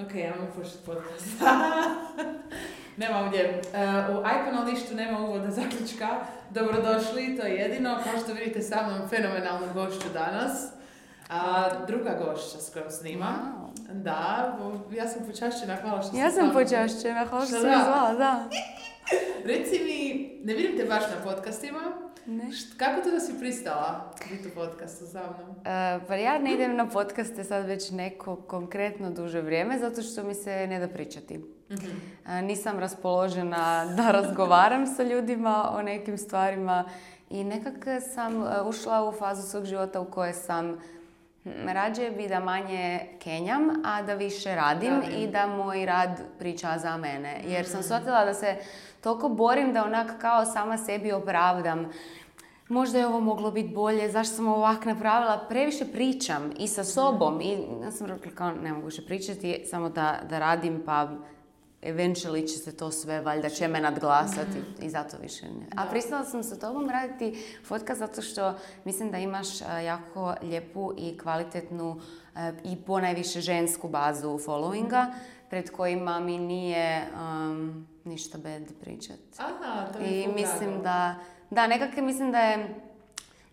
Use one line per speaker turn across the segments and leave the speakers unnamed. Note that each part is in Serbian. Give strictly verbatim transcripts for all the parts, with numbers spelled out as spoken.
Ok, ja mogu početi podcast. Nema ovdje. Uh, u Icona lištu nema uvoda zaključka. Dobrodošli, to je jedino. Kao što vidite, sa mnom fenomenalnu gošću danas. A druga gošća s kojom snimam. Wow. Da, ja sam počašćena, hvala što
ja
sam
sam počašćena, hvala što sam zvala, da.
Reci mi, ne vidim te baš na podcastima.
Ne.
Št, kako to da si pristala biti u podcastu sa mnom?
Uh, pa ja ne idem na podcaste sad već neko konkretno duže vrijeme, zato što mi se ne da pričati. Mm-hmm. Uh, nisam raspoložena da razgovaram sa ljudima o nekim stvarima i nekako sam uh, ušla u fazu svog života u kojoj sam rađe bi da manje kenjam, a da više radim da, i da moj rad priča za mene. Jer sam shvatila da se toliko borim da onak kao sama sebi opravdam. Možda je ovo moglo biti bolje, zašto sam ovak napravila? Previše pričam i sa sobom. I ja sam rekla kao ne mogu više pričati, samo da, da radim pa eventually će se to sve, valjda će me nadglasati mm-hmm. i zato više ne. A pristala sam sa tobom raditi podcast zato što mislim da imaš jako lijepu i kvalitetnu i ponajviše žensku bazu followinga mm-hmm. pred kojima mi nije um, ništa bad pričat.
Aha, to je
I mislim da, da, nekako mislim da je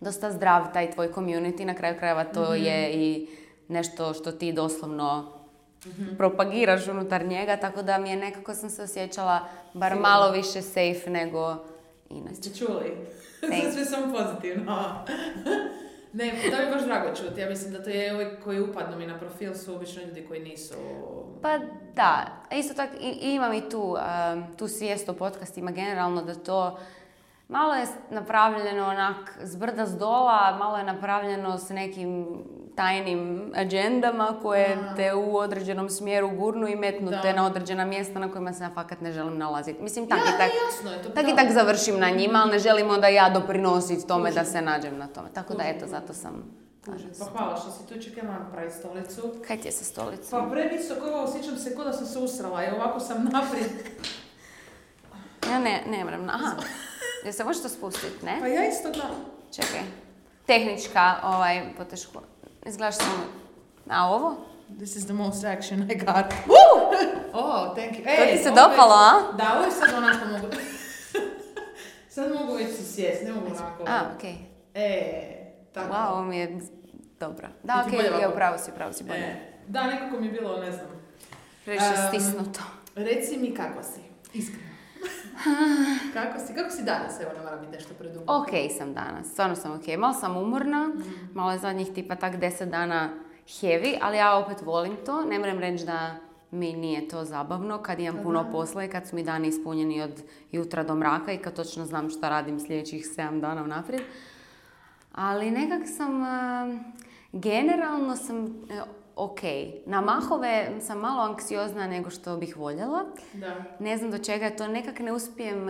dosta zdrav taj tvoj community, na kraju krajeva to mm-hmm. je i nešto što ti doslovno Mm-hmm. propagiraš unutar njega, tako da mi je nekako sam se osjećala bar Sigurno. malo više safe nego inače.
Ste čuli? Sve sve samo pozitivno. Ne, to mi je baš drago čuti. Ja mislim da to je ovi koji upadnu mi na profil su obično ljudi koji nisu...
Pa da, isto tako i, imam i tu, um, tu svijest o podcastima generalno da to malo je napravljeno onak zbrda zdola, malo je napravljeno s nekim tajnim agendama koje Aha. te u određenom smjeru gurnu i metnu te na određena mjesta na kojima se ja fakat ne želim nalaziti. Mislim, tak ja, i tak, jasno je to, tak, i tak završim na njima, ali ne želim onda ja doprinositi tome Užim. da se nađem na tome. Tako Užim. da eto, zato sam...
Pa hvala što si tu, čekaj, moram praviti stolicu.
Kaj ti je sa stolicom?
Pa previsoko, ovo osjećam se kao da sam se usrala i ovako sam naprijed.
Ja ne, ne moram, aha. Jel se možeš to spustiti, ne?
Pa ja isto gledam.
Čekaj. Tehnička, ovaj, poteško. Izgledaš samo... A ovo?
This is the most action I got.
Woo!
Oh, thank you.
To ti se dopalo, a?
Da, ovo je sad onako mogu... sad mogu već si sjest, ne mogu onako...
A, okej. Okay.
E, tako.
Wow, ovo mi je dobro. Da, okej, okay, ja upravo si, upravo si bolje.
E, da, nekako mi je bilo, ne znam...
Previše um, stisnuto.
Reci mi kako si, iskreno. Kako si? Kako si danas? Evo, ne mora biti nešto predubno.
Ok sam danas, stvarno sam ok. Malo sam umorna, mm. malo je zadnjih tipa tak deset dana heavy, ali ja opet volim to. Ne moram reći da mi nije to zabavno kad imam puno Aha. posla i kad su mi dani ispunjeni od jutra do mraka i kad točno znam šta radim sljedećih sedam dana unaprijed. Ali nekak sam, uh, generalno sam... Uh, ok. Na mahove sam malo anksiozna nego što bih voljela. Da. Ne znam do čega je to. Nekak ne uspijem,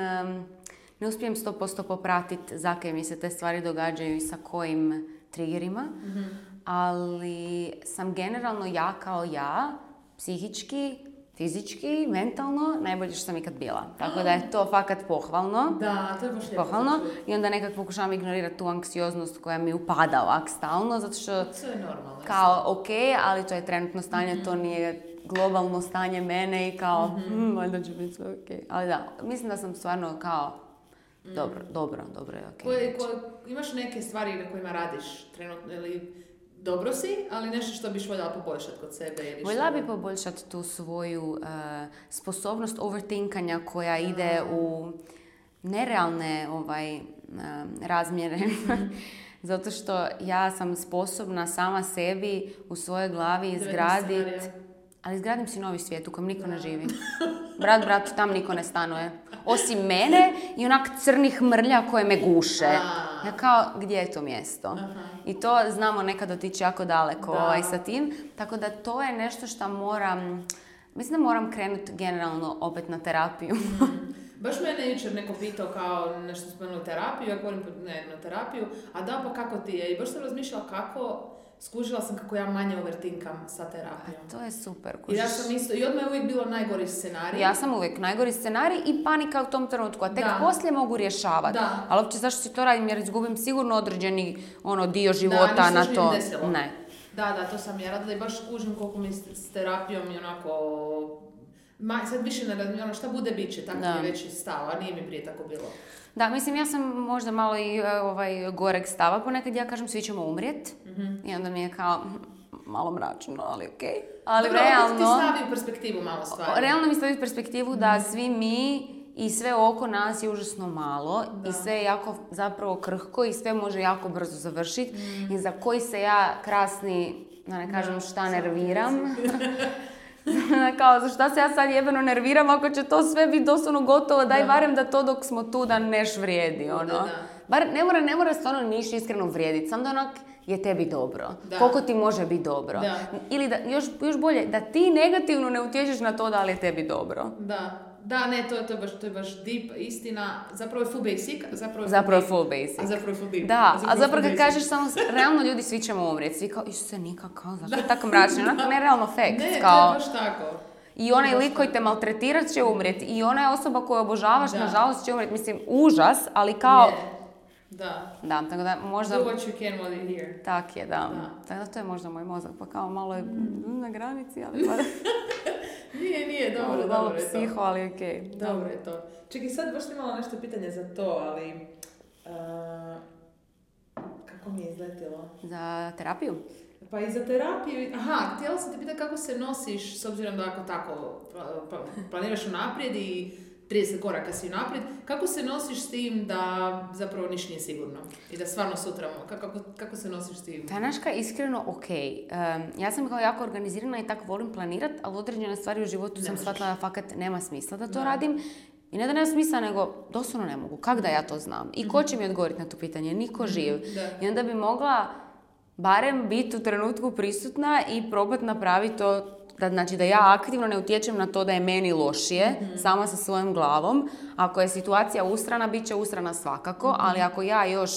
ne uspijem sto posto popratiti zakaj mi se te stvari događaju i sa kojim triggerima. Mm-hmm. Ali sam generalno ja kao ja, psihički, fizički, mentalno, najbolje što sam ikad bila. Tako da je to fakat pohvalno.
Da, to je baš lijepo.
Pohvalno. I onda nekak pokušavam ignorirati tu anksioznost koja mi upada ovak stalno, zato što...
To je normalno.
Kao, ok, ali to je trenutno stanje, mm-hmm. to nije globalno stanje mene i kao, mm-hmm. valjda će biti sve ok. Ali da, mislim da sam stvarno kao, mm. dobro, dobro, dobro je ok.
Koje, koje, imaš neke stvari na kojima radiš trenutno ili... Dobro si, ali nešto što biš voljela poboljšati kod sebe ili što...
Voljela bi poboljšati tu svoju uh, sposobnost overthinkanja koja ide u nerealne ovaj, uh, razmjere. Mm-hmm. Zato što ja sam sposobna sama sebi u svojoj glavi izgraditi... Ali izgradim si novi svijet u kojem niko da. ne živi. Brat, brat, tam niko ne stanuje. Osim mene i onak crnih mrlja koje me guše. A. Ja kao, gdje je to mjesto? Aha. I to znamo nekad otići jako daleko ovaj, sa tim. Tako da to je nešto što moram... Mislim da moram krenuti generalno opet na terapiju.
Mm. Baš mene jučer neko pitao kao nešto spomenuo terapiju, ja govorim ne, na terapiju, a da pa kako ti je? I baš sam razmišljala kako... Skužila sam kako ja manje overthinkam sa terapijom.
A to je super.
I ja sam isto, i odmah je uvijek bilo najgori scenarij.
Ja sam uvijek najgori scenarij i panika u tom trenutku, a tek da. poslije mogu rješavati. Da. Ali uopće zašto si to radim, jer izgubim sigurno određeni ono, dio života
da,
na to.
Da,
ne.
Da, da, to sam ja radila i baš kužim koliko mi s, s terapijom i onako... Ma, sad više ne radim, ono šta bude bit će, tako
Da.
mi je već stava, a nije mi prije tako bilo.
Da, mislim, ja sam možda malo i ovaj, goreg stava, ponekad ja kažem svi ćemo umrijet, mm-hmm. i onda mi je kao malo mračno, ali okej. Okay. Ali
dobro,
realno...
Dobro, ti stavi u perspektivu malo stvari.
Realno mi stavi u perspektivu mm-hmm. da svi mi i sve oko nas je užasno malo, da. I sve je jako zapravo krhko i sve može jako brzo završiti, mm. i za koji se ja krasni, da ne kažem šta, nerviram. Kao, za šta se ja sad jebeno nerviram ako će to sve biti doslovno gotovo, daj da. Barem da to dok smo tu da neš vrijedi, ono. Da, da. Bar ne mora, ne mora stvarno niš iskreno vrijediti, samo da onak je tebi dobro. Da. Koliko ti može biti dobro. Da. Ili da, još, još bolje, da ti negativno ne utječeš na to da li je tebi dobro.
Da. Da, ne, to, to, je baš, to je baš deep istina. Zapravo je full basic, zapravo je full,
zapravo
deep,
full basic.
A zapravo je full deep.
Da,
a zapravo,
a zapravo kad
basic.
kažeš samo, realno ljudi svi ćemo umrijeti. Svi kao, Isuse, nikak, kao, zašto je tako mračno? Onako, nerealno fact.
Ne,
kao,
to je baš tako.
I onaj lik koji te maltretirat će umrijeti. I ona osoba koju obožavaš, da. Nažalost, će umrijeti. Mislim, užas, ali kao...
Ne. Da.
Da, tako da možda...
Do what you can while you're here.
Tak je, da. da. Tako da to je možda moj mozak, pa kao malo je mm. na granici, ali pa...
nije, nije, dobro, dobro,
dobro
je to.
Psiho, ali okej. Okay.
Dobro je to. Čekaj, sad baš imala nešto pitanje za to, ali... Uh, kako mi je izletilo?
Za terapiju?
Pa i za terapiju... Aha, htjela sam te pitati kako se nosiš, s obzirom da ako tako planiraš unaprijed i trideset koraka si unaprijed, kako se nosiš s tim da zapravo niš nije sigurno i da stvarno sutra, kako, kako se nosiš s tim?
Tanaška, iskreno, ok. Um, ja sam kao jako organizirana i tako volim planirat, ali određene stvari u životu ne sam shvatila da fakat nema smisla da to da. Radim. I ne da nema smisla, nego doslovno ne mogu. Kak da ja to znam? I ko će mi odgovoriti na to pitanje? Niko živ. Da. I onda bi mogla barem biti u trenutku prisutna i probat napraviti to. Da, znači da ja aktivno ne utječem na to da je meni lošije, mm-hmm. sama sa svojom glavom. Ako je situacija usrana, bit će usrana svakako, mm-hmm. ali ako ja još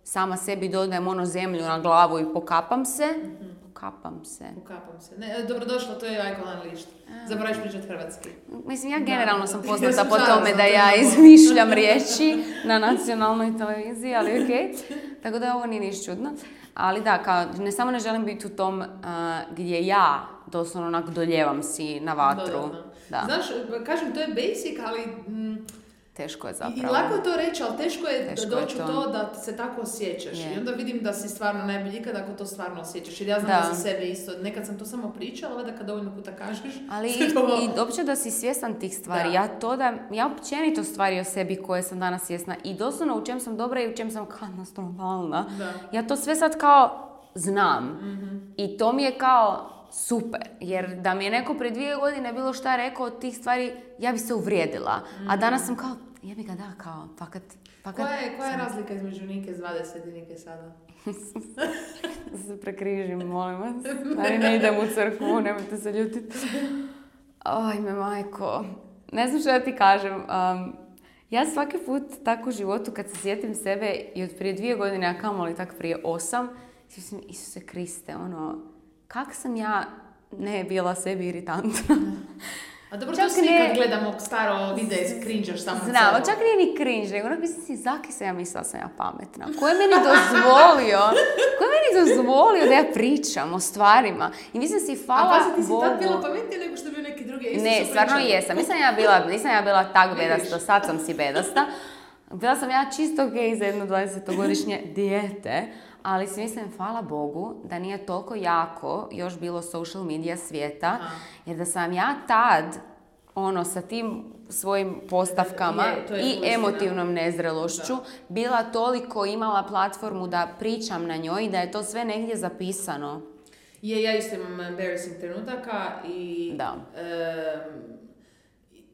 sama sebi dodajem ono zemlju na glavu i pokapam se, mm-hmm. pokapam se.
Pokapam se. Ne, dobrodošlo, to je Icon Unleashed. Zaboraviš pričat hrvatski.
Mislim, ja generalno da. Sam poznata po tome da ja izmišljam riječi na nacionalnoj televiziji, ali okej. Okay. Tako da ovo nije niš čudno. Ali da, kao, ne samo ne želim biti u tom uh, gdje ja doslovno onak doljevam si na vatru. Da, da, da.
Znaš, kažem, to je basic, ali... Mm,
teško je zapravo.
I lako je to reći, ali teško je
teško
doći
je
u
to.
to da se tako osjećaš.
Je.
I onda vidim da si stvarno najbolji ikad ako to stvarno osjećaš. Jer ja znam da, da za sebe isto. Nekad sam to samo pričala, ali da kad dovoljno puta kažeš...
Ali i, to... i uopće da si svjestan tih stvari. Da. Ja to da... Ja općenito stvari o sebi koje sam danas svjesna. I doslovno u čem sam dobra i u čem sam katastrofalna. Ja to sve sad kao znam. Mm-hmm. I to mi je kao... super, jer da mi je neko prije dvije godine bilo šta rekao od tih stvari, ja bi se uvrijedila. Mm-hmm. A danas sam kao, jebi ga da, kao, fakat... fakat
koja je, koja je razlika između Nike s dvadeset i Nike sada?
Da se prekrižim, molim vas. Ali ne idem u crkvu, nemojte se ljutiti. Ajme, majko. Ne znam što da ti kažem. Um, ja svaki put tako u životu, kad se sjetim sebe i od prije dvije godine, a kamoli tak prije osam, sjećam, Isuse Kriste, ono... Kak sam ja ne bila sebi iritantna.
A dobro, čak to svi ne... kad gledamo staro videe, cringe-aš samo
Znam, celo. Čak nije ni cringe, nego onak mislim si, zaki se ja mislila sam ja pametna. Ko je meni dozvolio, ko je meni dozvolio da ja pričam o stvarima? I mislim si, hvala Bogu.
A pazi, ti si tak bila pametnija nego što bi neki drugi isto
Ne, stvarno pričali. Jesam. Nisam ja bila, nisam ja bila tak bedasta, sad sam si bedasta. Bila sam ja čisto okej za jedno dvadesetogodišnje dijete. Ali si mislim, hvala Bogu, da nije toliko jako još bilo social media svijeta, aha. Jer da sam ja tad, ono, sa tim svojim postavkama je, je i emotivnom nezrelošću, da. Bila toliko imala platformu da pričam na njoj i da je to sve negdje zapisano.
Je, ja isto imam embarrassing trenutaka i...
Da.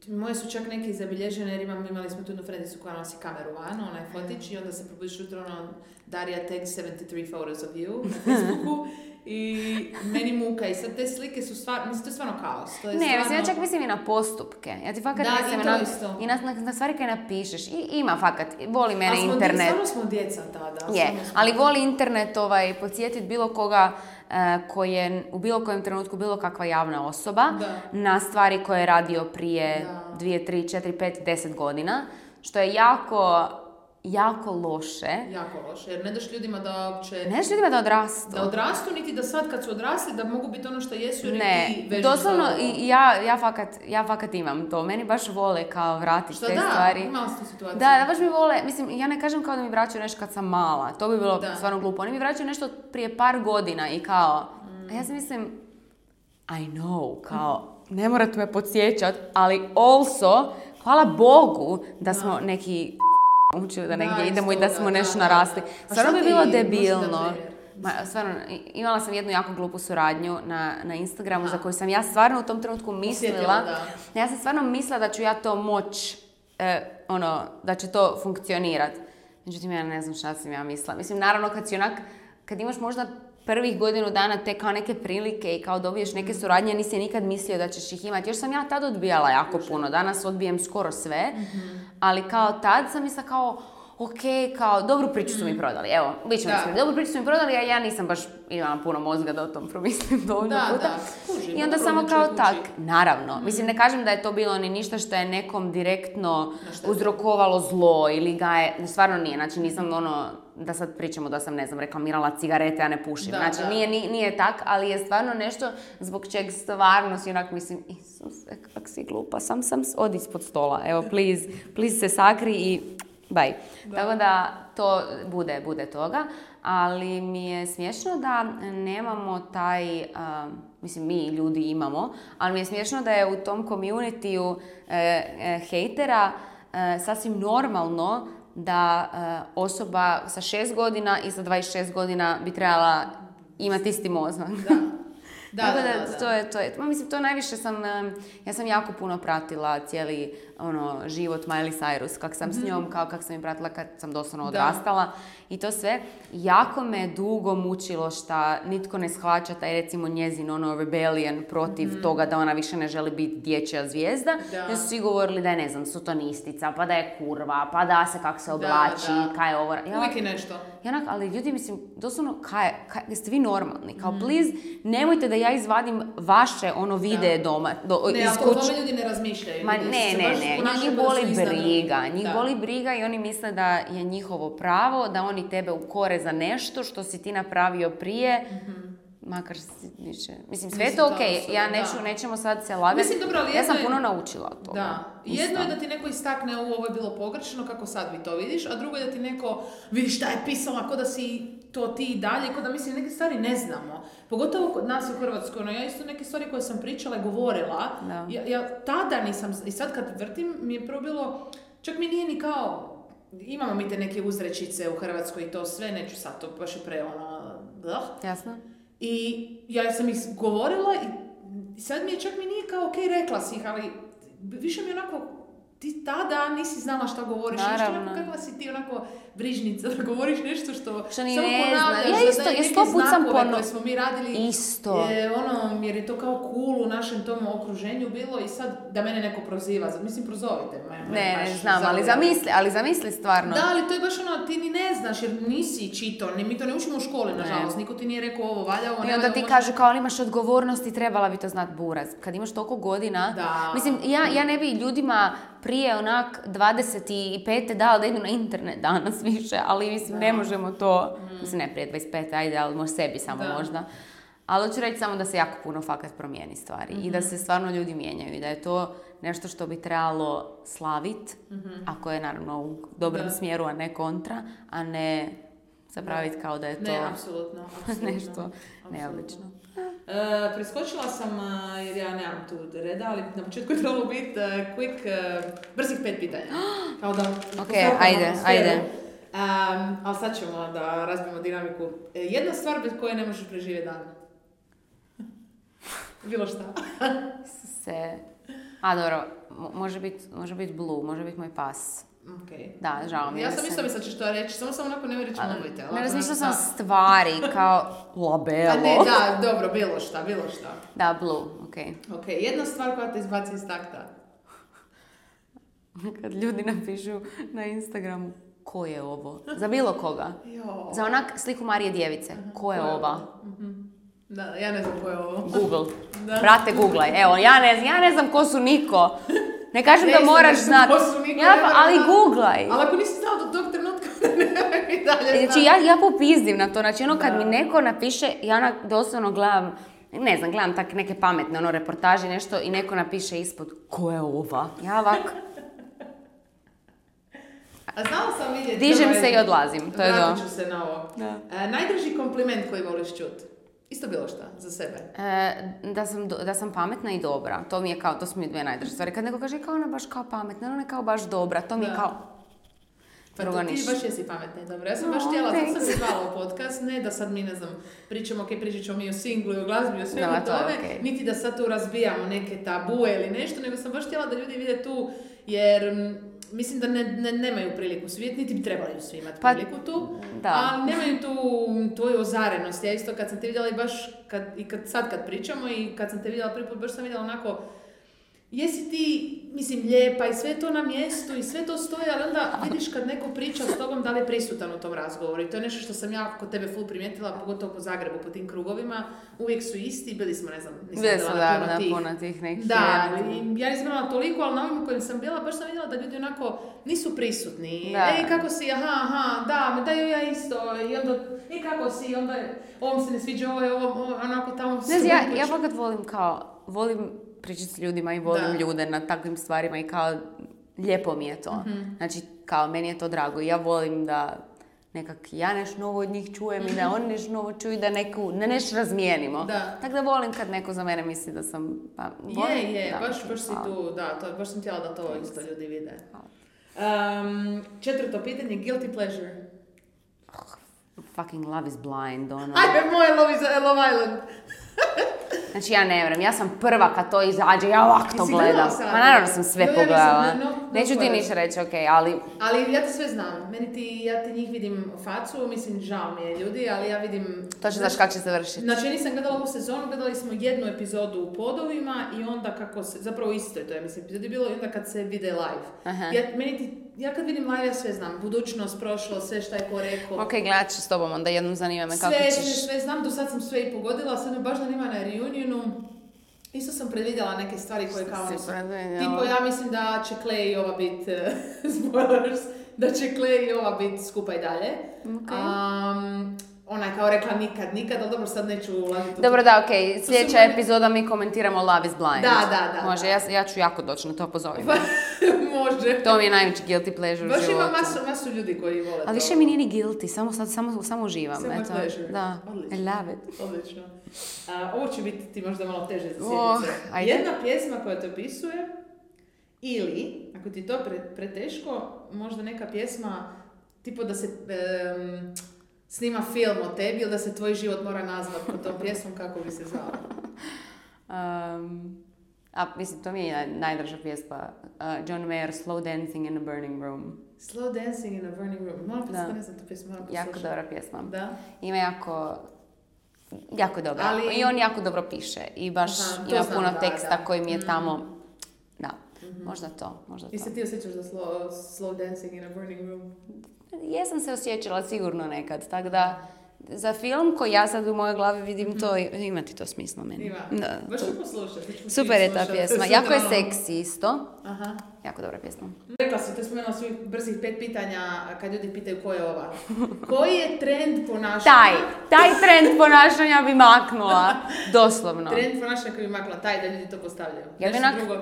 Um, moje su čak neke zabilježene jer imam, imali smo tu jednu frendicu koja nosi kameru van, onaj fotić i onda se probudiš jutro, ono, Darija tags sedamdeset tri photos of you na Facebooku i meni muka i sad te slike su stvarno, mislim, to je stvarno kaos. To je
ne,
stvarno...
mislim, ja čak mislim i na postupke. Ja ti fakat
da,
mislim
i to
na,
isto.
I na, na, na stvari koje napišeš. I ima fakat, voli mene
smo,
internet.
Stvarno smo djeca tada.
Je,
smo...
ali voli internet ovaj, podsjetiti bilo koga uh, koji je u bilo kojem trenutku bilo kakva javna osoba da. Na stvari koje je radio prije da. dvije, tri, četiri, pet, deset godina. Što je jako jako loše.
Jako loše, jer ne daš ljudima da uopće...
Ne daš ljudima da odrastu.
Da odrastu, niti da sad kad su odrasli, da mogu biti ono što jesu, jer
ne,
ti vežeš
doslovno, i ja, ja, fakat, ja fakat imam to. Meni baš vole kao vratiti te
da,
stvari.
Što da, imala si tu situaciju.
Da, da baš mi vole, mislim, ja ne kažem kao da mi vraćaju nešto kad sam mala. To bi bilo
da.
stvarno glupo. Oni mi vraćaju nešto prije par godina i kao...
Mm.
A ja si mislim, I know, kao, ne morate me podsjećat, ali also, hvala Bogu da smo da. neki... učili da negdje da, idemo i da smo nešto narasli. Stvarno bi bilo debilno. Ma, stvarno, imala sam jednu jako glupu suradnju na, na Instagramu, aha, za koju sam ja stvarno u tom trenutku mislila. Da. Ja sam stvarno mislila da ću ja to moć, e, ono, da će to funkcionirati. Međutim, ja ne znam šta sam ja mislila. Mislim, naravno, kad si onak, kad imaš možda prvih godinu dana te kao neke prilike i kao dobiješ neke suradnje, nisi nikad mislio da ćeš ih imati. Još sam ja tad odbijala jako puno. Danas odbijem skoro sve. Mm-hmm. Ali kao tad sam mislila kao, ok, kao, dobru priču su mi prodali. Evo, bit ćemo iskreni. Dobru priču su mi prodali, a ja nisam baš imala puno mozga da o tom promislim dovoljno
da,
puta.
Da, kužim,
i onda samo kao tak, naravno. Mm. Mislim, ne kažem da je to bilo ni ništa što je nekom direktno uzrokovalo zlo ili ga je, stvarno nije. Znači, nisam ono, da sad pričamo da sam, ne znam, reklamirala cigarete, a ne pušim. Da, znači, da. Nije, nije, nije tak, ali je stvarno nešto zbog čeg stvarno si onak mislim, Isuse, kak si glupa, sam sam odi ispod stola. Evo, please, please se sakri i bye. Da. Tako da to bude, bude toga, ali mi je smiješno da nemamo taj, uh, mislim mi ljudi imamo, ali mi je smiješno da je u tom community-u uh, uh, hejtera uh, sasvim normalno da uh, osoba sa šest godina i sa dvadeset šest godina bi trebala imati isti mozak. Da. Da, da, da, da. To je, to je, mislim, to najviše sam, ja sam jako puno pratila cijeli ono, život Miley Cyrus, kak sam mm-hmm. s njom, kao kak sam je pratila kad sam doslovno odrastala. Da. I to sve. Jako me dugo mučilo šta nitko ne shvaća taj recimo njezin ono rebellion protiv mm-hmm. toga da ona više ne želi biti dječja zvijezda. Da. Jer su svi govorili da je, ne znam, sotonistica, pa da je kurva, pa da se kak se oblači, da, da. Kaj je ovo. Ja,
uvijek je nešto.
Ja, ali ljudi, mislim, doslovno, kaj, kaj, jeste vi normalni? Kao, mm. please, nemojte da ja izvadim vaše ono videe da. Doma. Do,
ne,
iz
ali tome ljudi ne razmišljaju.
Ma, ne, ne, ne, njih boli briga. Njih da. boli briga i oni misle da je njihovo pravo, da oni tebe ukore za nešto što si ti napravio prije. Mm-hmm. Makar si više... Mislim, sve je to okej. Okay. Ja neću, nećemo sad se lagati. Mislim, dobro, ja sam je... puno naučila od toga.
Da. Jedno je da ti neko istakne ovo je bilo pogrešno, kako sad vi to vidiš, a drugo je da ti neko vidi šta je pisala, ko da si to ti i dalje, ko da mislim neke stvari ne znamo. Pogotovo kod nas u Hrvatskoj. No, ja isto neke stvari koje sam pričala i govorila, ja, ja tada nisam... I sad kad vrtim, mi je prvo bilo... Čak mi nije ni kao... Imamo mi te neke uzrečice u Hrvatskoj i to sve, neću sad to baš je pre ono... Blah.
Jasno.
I ja sam ih govorila i sad mi je čak mi nije kao ok, rekla si ih, ali više mi onako, ti tada nisi znala šta govoriš, nešto onako kakva si ti onako brižnica, da govoriš nešto što,
što ni ne zna. Ja isto, ja sto put sam pono...
koje smo mi radili,
isto.
Je, ono, jer je to kao cool u našem tom okruženju bilo i sad da mene neko proziva, mislim prozovite me.
Ne, ne znam, ali zamisli, ali zamisli stvarno.
Da, ali to je baš ono, ti ni ne znaš jer nisi čito, mi to ne učimo u školi, nažalost, niko ti nije rekao ovo valja, ovo ne valja.
I onda ti kažu kao ali imaš odgovornost i trebala bi to znat buraz. Kad imaš toliko godina,
da.
Mislim, ja, ja ne bi ljudima prije onak dvadeset pet dala da idu na internet danas više, ali mislim da. Ne možemo to, mm. mislim ne prije dvadeset pet, ajde, ali možda sebi samo da. Možda. Ali hoću reći samo da se jako puno fakat promijeni stvari mm-hmm. i da se stvarno ljudi mijenjaju i da je to nešto što bi trebalo slaviti, mm-hmm. ako je naravno u dobrom da. Smjeru, a ne kontra, a ne zapraviti kao da je to
ne, apsolutno, apsolutno.
nešto neobično.
E, preskočila sam, jer ja nemam tu reda, ali na početku je trebalo biti uh, quick, uh, brzih pet pitanja. Kao da...
Ok, ajde, ajde.
Um, ali sad ćemo da razbijemo dinamiku. E, jedna stvar bez koje ne možeš preživjeti dan. Bilo šta.
Se... A dobro, može biti može bit Blue, može biti moj pas.
Okay.
Da, žao mi je.
Ja sam isto mislila ćeš to reći, samo sam onako ne reći mobite.
Ne razmišljala sam stvari, kao labelo.
A ne, da, dobro, bilo šta, bilo šta.
Da, Blue, okej.
Okay. Ok, jedna stvar koja te izbaci iz takta.
Kad ljudi napišu na Instagramu, ko je ovo? Za bilo koga.
Jo.
Za onak sliku Marije Djevice. Uh-huh. Ko je ko ova?
Uh-huh. Da, ja ne znam ko je ovo.
Google. Da. Brate, googlaj. Evo, ja ne znam, ja ne znam ko su niko. Ne kažem ne da moraš znati. Ja, ali googlaj.
Ali ako nisi znao do tog trenutka I dalje
Znači, ja, ja popizdim na to. Znači, ono, kad
Da.
mi neko napiše, ja onak doslovno gledam, ne znam, gledam tak neke pametne, ono, reportaže, nešto, i neko napiše ispod, ko je ova? Ja ovako,
A znala sam vidjeti...
dižem
ovaj,
se i odlazim, to je
vratit
to.
ću se na ovo.
Da.
E, najdrži kompliment koji voliš čut? Isto bilo šta, za sebe.
E, da, sam, do- da sam pametna i dobra, to mi je kao, to su mi dvije najdrže stvari. Kad neko kaže, kao ona baš kao pametna, ona je kao baš dobra, to mi je
Da.
kao...
Pa
drugo
to ti
ništa.
baš jesi pametna i dobra. Ja sam baš
No,
htjela, zato sam
thanks.
se zvala u podcast, ne da sad mi, ne znam, pričamo, ok, pričat ćemo mi o singlu i o glazbi i o svemu
Da, to je
tome,
okej.
niti da sad tu razbijamo neke tabue ili nešto, nego sam baš htjela da ljudi vide tu, jer m, mislim da ne, ne, nemaju priliku svi vidjeti, niti bi trebali svi imati
Pa,
priliku tu,
da.
ali nemaju tu tvoju ozarenost. Ja isto kad sam te vidjela i baš, kad, i kad, sad kad pričamo i kad sam te vidjela prvi put, baš sam vidjela onako, jesi ti, mislim, lijepa i sve to na mjestu i sve to stoji, ali onda vidiš kad neko priča s tobom da li je prisutan u tom razgovoru. I to je nešto što sam ja kod tebe full primijetila, pogotovo po Zagrebu, po tim krugovima. Uvijek su isti, bili smo, ne znam, nisam
Bili
bila
su,
na
da,
puno
na
tih.
puno tih nekih...
Da,
je-
i ja nisam imala toliko, ali na ovim u kojim sam bila, baš sam vidjela da ljudi onako nisu prisutni.
Da.
Ej, kako si, aha, aha, da, ma daju ja isto. I onda, ej, kako si, i onda, ovom se ne sviđa, ovo je ovo, ovo, onako tamo...
Ne znam, ja, ja fakat volim kao, volim pričati s ljudima i volim
Da.
ljude na takvim stvarima i kao, lijepo mi je to.
Mhm.
Znači, kao, meni je to drago i ja volim da nekak ja nešto novo od njih čujem i da oni nešto novo čuju i da neku, da nešto razmijenimo.
Da.
Tako da volim kad neko za mene misli da sam, pa, volim.
Je, je,
da,
baš, baš si
hvala.
tu, da, to, baš sam htjela da to isto ljudi vide.
Hvala.
Um, četvrto pitanje, guilty pleasure.
Fucking Love is Blind, ono.
Ajde, moje Love, is, Love Island.
Znači, ja ne vjerujem, ja sam prva kad to izađe, ja ovak to
Jesi gledala
gledam.
sad?
Ma naravno sam sve
No, ja nisam,
pogledala.
no, no
Neću ti
spoilers.
ništa reći, okej, ali...
Ali ja te sve znam. Meni ti, ja ti njih vidim facu, mislim, žao mi je ljudi, ali ja vidim...
Točno znaš kako će se vršiti.
Znači, ja nisam gledala ovu sezonu, gledali smo jednu epizodu u podovima i onda kako se, zapravo isto je to, ja mislim, epizodi bilo i onda kad se vide live.
Aha.
Ja, meni ti, ja kad vidim live, ja sve znam. Budućnost, prošlost, sve šta je ko rekao.
Ok, gledat ću s tobom, onda jednom zanima me kako
Sve,
ćeš...
sve, sve znam, do sad sam sve i pogodila, sad me baš zanima na reunionu. Isto sam predvidjela neke stvari koje kao...
Si
ono su-
predvidjela?
Tipo, ja mislim da će Clay i ova bit, eh, spoilers, da će Clay i ova bit skupa i dalje.
Ok.
Um, ona je kao rekla nikad, nikad, ali dobro, sad neću ulaziti u
Dobro, da, okej,
su
sljedeća
meni-
epizoda mi komentiramo Love is Blind.
Da, da, da,
Može,
da.
ja, ja ću jako doći na to, pozovem.
Može.
To mi je najveći guilty pleasure u
Baš ima
životu.
masu, masu ljudi koji vole to.
Ali više mi nije ni guilty, samo, sad, samo, samo uživam.
Samo
eto.
pleasure.
Da,
Odlično.
I love it.
Odlično. A, ovo će biti ti možda malo teže za
Oh,
sjednice.
ajde.
Jedna pjesma koja te opisuje, ili, ako ti je to pre, preteško, možda neka pjesma, tipo da se em, snima film o tebi ili da se tvoj život mora nazvati pod tom pjesmom, kako bi se zvala.
Um, a, mislim, to mi je naj- najdraža pjesma. Uh, John Mayer, Slow Dancing in a Burning Room.
Slow Dancing in a Burning Room. Moram
Da.
poslušati, ne znam tu pjesmu, moram
Jako
poslušati.
dobra pjesma.
Da.
Ima jako... Jako dobro.
Ali-
I on jako dobro piše. I baš
Aha, to
ima
znam,
puno
da,
teksta
da.
koji mi je
Mhm.
tamo... Da, možda to, možda
I se
to.
ti osjećaš da slow, slow Dancing in a Burning Room?
Jesam se osjećala sigurno nekad, tako da za film koji ja sad u mojoj glavi vidim to, ima ti to smisla meni.
Ima.
Da,
Baš
to-
ću poslušati. ću
Super je ta
slušati.
pjesma.
Sutra
Jako je
ono-
seksi isto.
Aha.
Jako dobra pjesma.
Rekla si, to spomenula svih brzih pet pitanja kad ljudi pitaju ko je ova. Koji je trend ponašanja?
Taj, taj trend ponašanja bi maknula. Doslovno.
Trend ponašanja koji bi makla, taj da ljudi to postavljaju.
Ja bi
Nešto
onak-
drugo.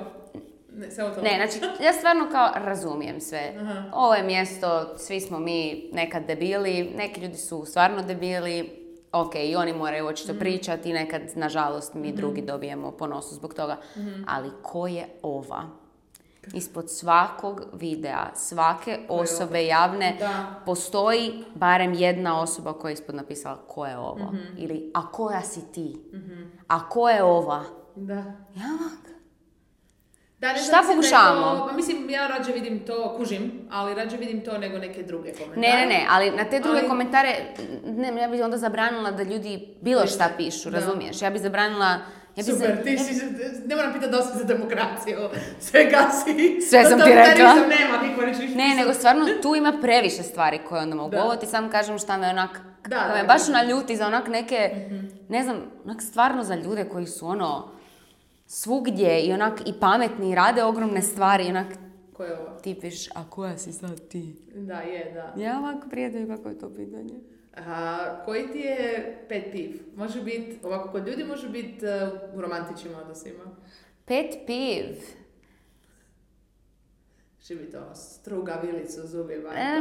Ne, samo to.
Ne, znači, ja stvarno kao razumijem sve.
Aha.
Ovo je mjesto, svi smo mi nekad debili, neki ljudi su stvarno debili, ok, i oni moraju očito pričati i nekad, nažalost, mi drugi dobijemo po nosu zbog toga. Ali ko je ova? Ispod svakog videa, svake osobe javne,
Da.
postoji barem jedna osoba koja je ispod napisala ko je ovo. Ili, a koja si ti? A ko je ova?
Da.
Ja,
Da, ne
Šta
znam, mislim da je
pokušavamo?
to- pa mislim, ja rađe vidim to, kužim, ali rađe vidim to nego neke druge komentare.
Ne, ne, ne, ali na te druge
Ali-
komentare, ne, ja bih onda zabranila da ljudi bilo šta pišu,
Da.
razumiješ? Ja bih zabranila... Ja bi
Super,
za-
ti si, ne moram pitati da si za demokraciju, sve gasi.
Sve sam ti rekla.
Totalitarizam nema, niko neće ništa.
Ne, nego stvarno tu ima previše stvari koje onda mogu.
Da.
Ovo ti sam kažem šta me onak,
Da,
da,
da,
me baš
da.
naljuti za onak neke, ne znam, onak stvarno za ljude koji su ono svugdje i onak i pametni i rade ogromne stvari i onak
Ko je ovo?
Ti pišeš, a koja si sad ti?
Da, je, da.
Ja ovako prijatelju, kako je to pitanje?
A, koji ti je pet piv? Može biti, ovako kod ljudi može biti uh, u romantičnim odnosima.
Pet piv?
Će biti ovo, struga, vilicu, zubima.
E,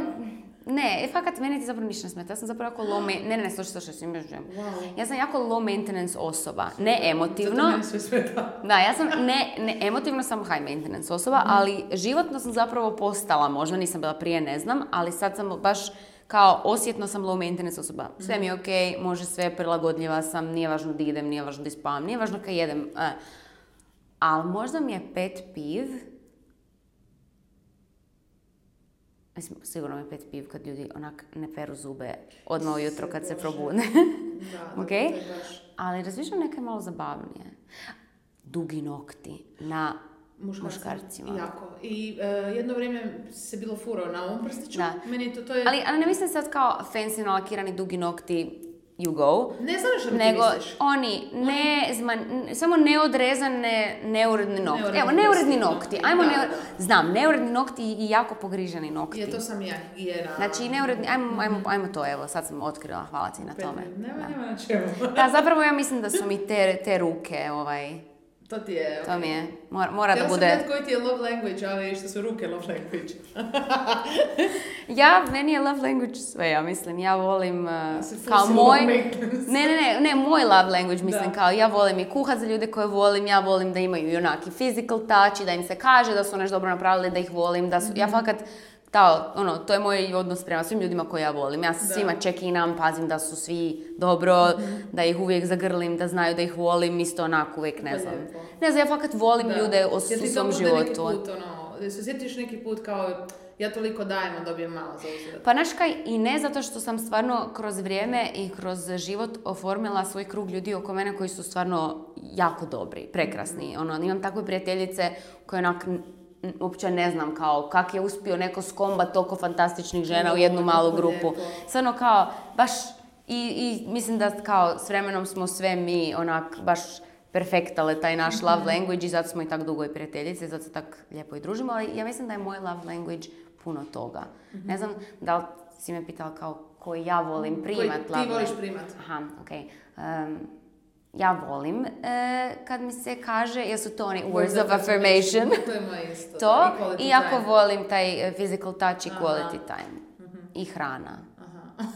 ne, fakat meni ti zapravo ništa ne smeta. Ja sam zapravo jako low maintenance, ne, ne, ne, slušaj, slušaj, svim još
wow.
Ja sam jako low maintenance osoba, ne emotivno.
Zato meni sve smeta.
Da, ja sam, ne, ne, emotivno sam high maintenance osoba, mm. ali životno sam zapravo postala, možda nisam bila prije, ne znam, ali sad sam baš kao osjetno sam low maintenance osoba. Sve mi je okej, okay, može sve, prilagodljiva sam, nije važno da idem, nije važno da ispavam, nije važno kad jedem. Uh. Ali možda mi je pet piv. Mislim, sigurno mi je pet piv kad ljudi onak ne peru zube odmah ujutro kad se probude.
Da,
okay? Ali razmišljam neke malo zabavnije. Dugi nokti na muškarcima.
Jako. I uh, jedno vrijeme se bilo furao na ovom prstiću.
Da.
Meni to, to je...
ali, ali ne mislim sad kao fancy nalakirani dugi nokti you go.
Ne znam što ti
nego
misliš.
oni, ne, oni... Zman, samo neodrezane, neuredni nokti. Neuredni Evo, neuredni nokti. Ajmo,
da,
neur...
da.
Znam, neuredni nokti i jako pogriženi nokti.
Je, to sam ja, higijena.
Znači, neuredni, ajmo, ajmo, ajmo to, evo, sad sam otkrila, hvala ti na tome.
Nema,
da.
nema na čemu.
Da, zapravo ja mislim da su mi te, te ruke, ovaj...
To ti je...
To mi je, mora, mora da bude...
Htjela sam gledati koji ti je love language, ali što su ruke love language.
Ja, meni je love language sve, ja mislim, ja volim uh, kao moj... Ne, ne, ne, ne, moj love language, mislim, da. Kao ja volim i kuhat za ljude koje volim, ja volim da imaju i onaki physical touch i da im se kaže da su nešto dobro napravili, da ih volim, da su, mm-hmm. ja fakat... Da, ono, to je moj odnos prema svim ljudima koje ja volim. Ja se da. svima check-inam, pazim da su svi dobro, mm-hmm. da ih uvijek zagrlim, da znaju da ih volim, isto onako uvijek, ne znam. Lijepo. Ne znam, ja fakat volim da. ljude u svom životu.
Neki put, ono, se sjetiš neki put kao, ja toliko dajem, a dobijem malo za uzvrat.
Pa znaš kaj, i ne zato što sam stvarno kroz vrijeme i kroz život oformila svoj krug ljudi oko mene koji su stvarno jako dobri, prekrasni. Mm-hmm. Ono, imam takve prijateljice koje onak... uopće ne znam kao kak je uspio neko skombat toliko fantastičnih žena u jednu malu grupu. Stvarno kao baš i, i mislim da kao s vremenom smo sve mi onak baš perfektale taj naš love language i zato smo i tak dugo i prijateljice, zato se tak lijepo i družimo, ali ja mislim da je moj love language puno toga. Mm-hmm. Ne znam da li si me pitala kao koji ja volim primat love language.
Ti voliš primat.
Aha, okej. Okay. Um, Ja volim e, kad mi se kaže, jesu to oni words of affirmation.
To je moje isto.
To, i jako volim taj physical touch i quality Aha. time. Mm-hmm. I hrana. Aha.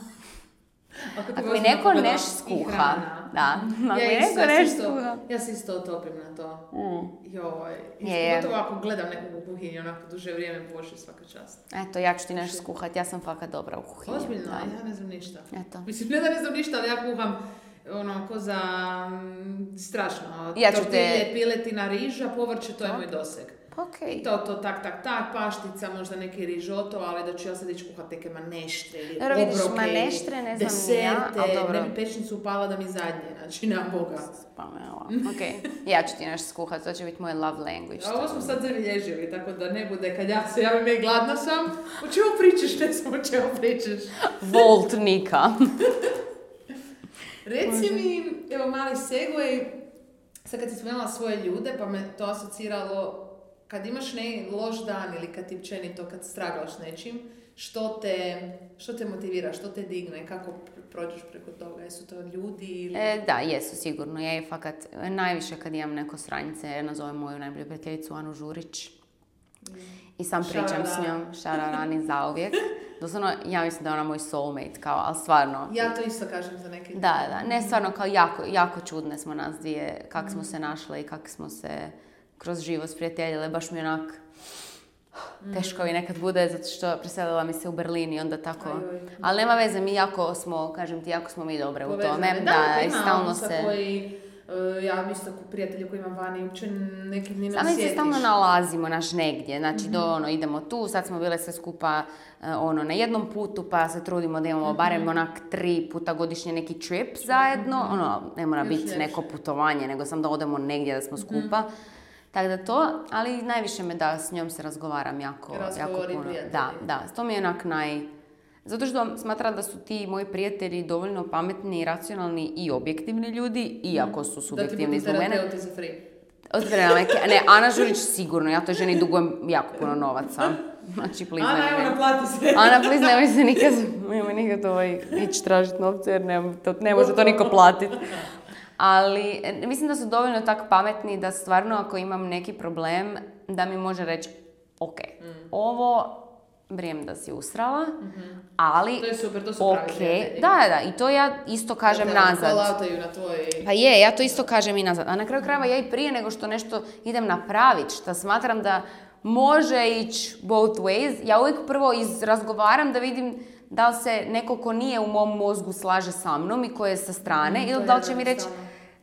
Ako, Ako mi neko neš skuha. Da. Ako
ja
mi neko neš skuha.
Ja se isto otopim na to. Mm. Joj.
Je.
Gotovo ako gledam nekog u kuhinji, onako duže vrijeme pošli svaka čast.
Eto, ja ću ti neš skuhat. Ja sam fakat dobra u kuhinji.
Ozbiljno, da. Ja ne znam ništa.
Eto.
Mislim, ne da ne znam ništa, ali ja kuham ono, ko za m, strašno.
Ja ću
Tortilje,
te...
piletina, riža, povrće, to je moj doseg.
Okay.
I to, to, tak, tak, tak, paštica, možda neki rižoto, ali da ću ja sad ići kuhat neke maneštre ili
dobro,
obroke,
vidiš, maneštre, ne znam
deserte,
ja, ali dobro.
Ne bi pečnicu upala da mi zadnje, znači, nema Boga.
Spamela. Ok, ja ću ti nešto skuhat, to će biti moj love language.
A ovo smo sad zabilježili, tako da ne bude kad ja se javim i gladna sam, o čemu pričaš, ne znam o čemu pričaš.
Volt Nika.
Reci mi, evo mali segway, sad kad si spomenula svoje ljude, pa me to asociralo, kad imaš ne loš dan ili kad ti općenito, kad straglaš nečim, što te, što te motivira, što te digne, kako prođeš preko toga, jesu to ljudi ili...
E, da, jesu sigurno, ja je fakat najviše kad imam neko sranice, nazovem moju najbolju prijateljicu Anu Žurić mm. i sam pričam Šarara. s njom, šararani zauvijek. Doslovno, ja mislim da je ona moj soulmate, kao, ali stvarno...
Ja to isto kažem za neke...
Da, da, ne stvarno, kao jako, jako čudne smo nas dvije, kako mm. smo se našle i kako smo se kroz život sprijateljile, baš mi onak... Teško mi nekad bude, zato što preselila mi se u Berlin i onda tako... Aj, ali nema veze, mi jako smo, kažem ti, jako smo mi dobre
Povezane.
u tome.
Da,
da
ima
stalno
se... Koji, uh, ja mislim tako prijatelji koji imam vani, uopće nekim ni ne osjetiš.
Sami se stalno nalazimo, naš negdje, znači mm-hmm. do ono, idemo tu, sad smo bile sve skupa uh, ono, na jednom putu, pa se trudimo da imamo mm-hmm. barem onak tri puta godišnje neki trip zajedno, mm-hmm. ono, ne mora biti neko putovanje, nego sam da odemo negdje da smo skupa. Mm-hmm. Tako da to, ali najviše me da s njom se razgovaram jako, jako puno. Prijatelji. Da, da, to mi je onak naj... Zato što smatram da su ti moji prijatelji dovoljno pametni, racionalni i objektivni ljudi, iako su subjektivni zbog mene.
Da ti budu terapeuti za free.
Od vremena majke. Ne, Ana Žurić sigurno, ja toj ženi dugujem jako puno novaca. Znači, please,
Ana, evo, naplati se.
Ana, please, nemoj se nikad, nemoj nikad ovaj, ići tražiti novce, jer ne, to, ne može to niko platiti. Ali mislim da su dovoljno tako pametni da stvarno ako imam neki problem, da mi može reći, ok, mm. ovo vrijem da si usrala, mm-hmm. ali...
To je super, to su
okay.
pravi prijatelji.
Da, da, i to ja isto kažem
da
nazad.
Call-outaju na tvoj...
Pa je, ja to isto kažem i nazad. A na kraju krajeva ja i prije nego što nešto idem napraviti, što smatram da može ići both ways, ja uvijek prvo izrazgovaram da vidim da li se neko ko nije u mom mozgu slaže sa mnom i ko je sa strane, mm, ili da li će mi reći,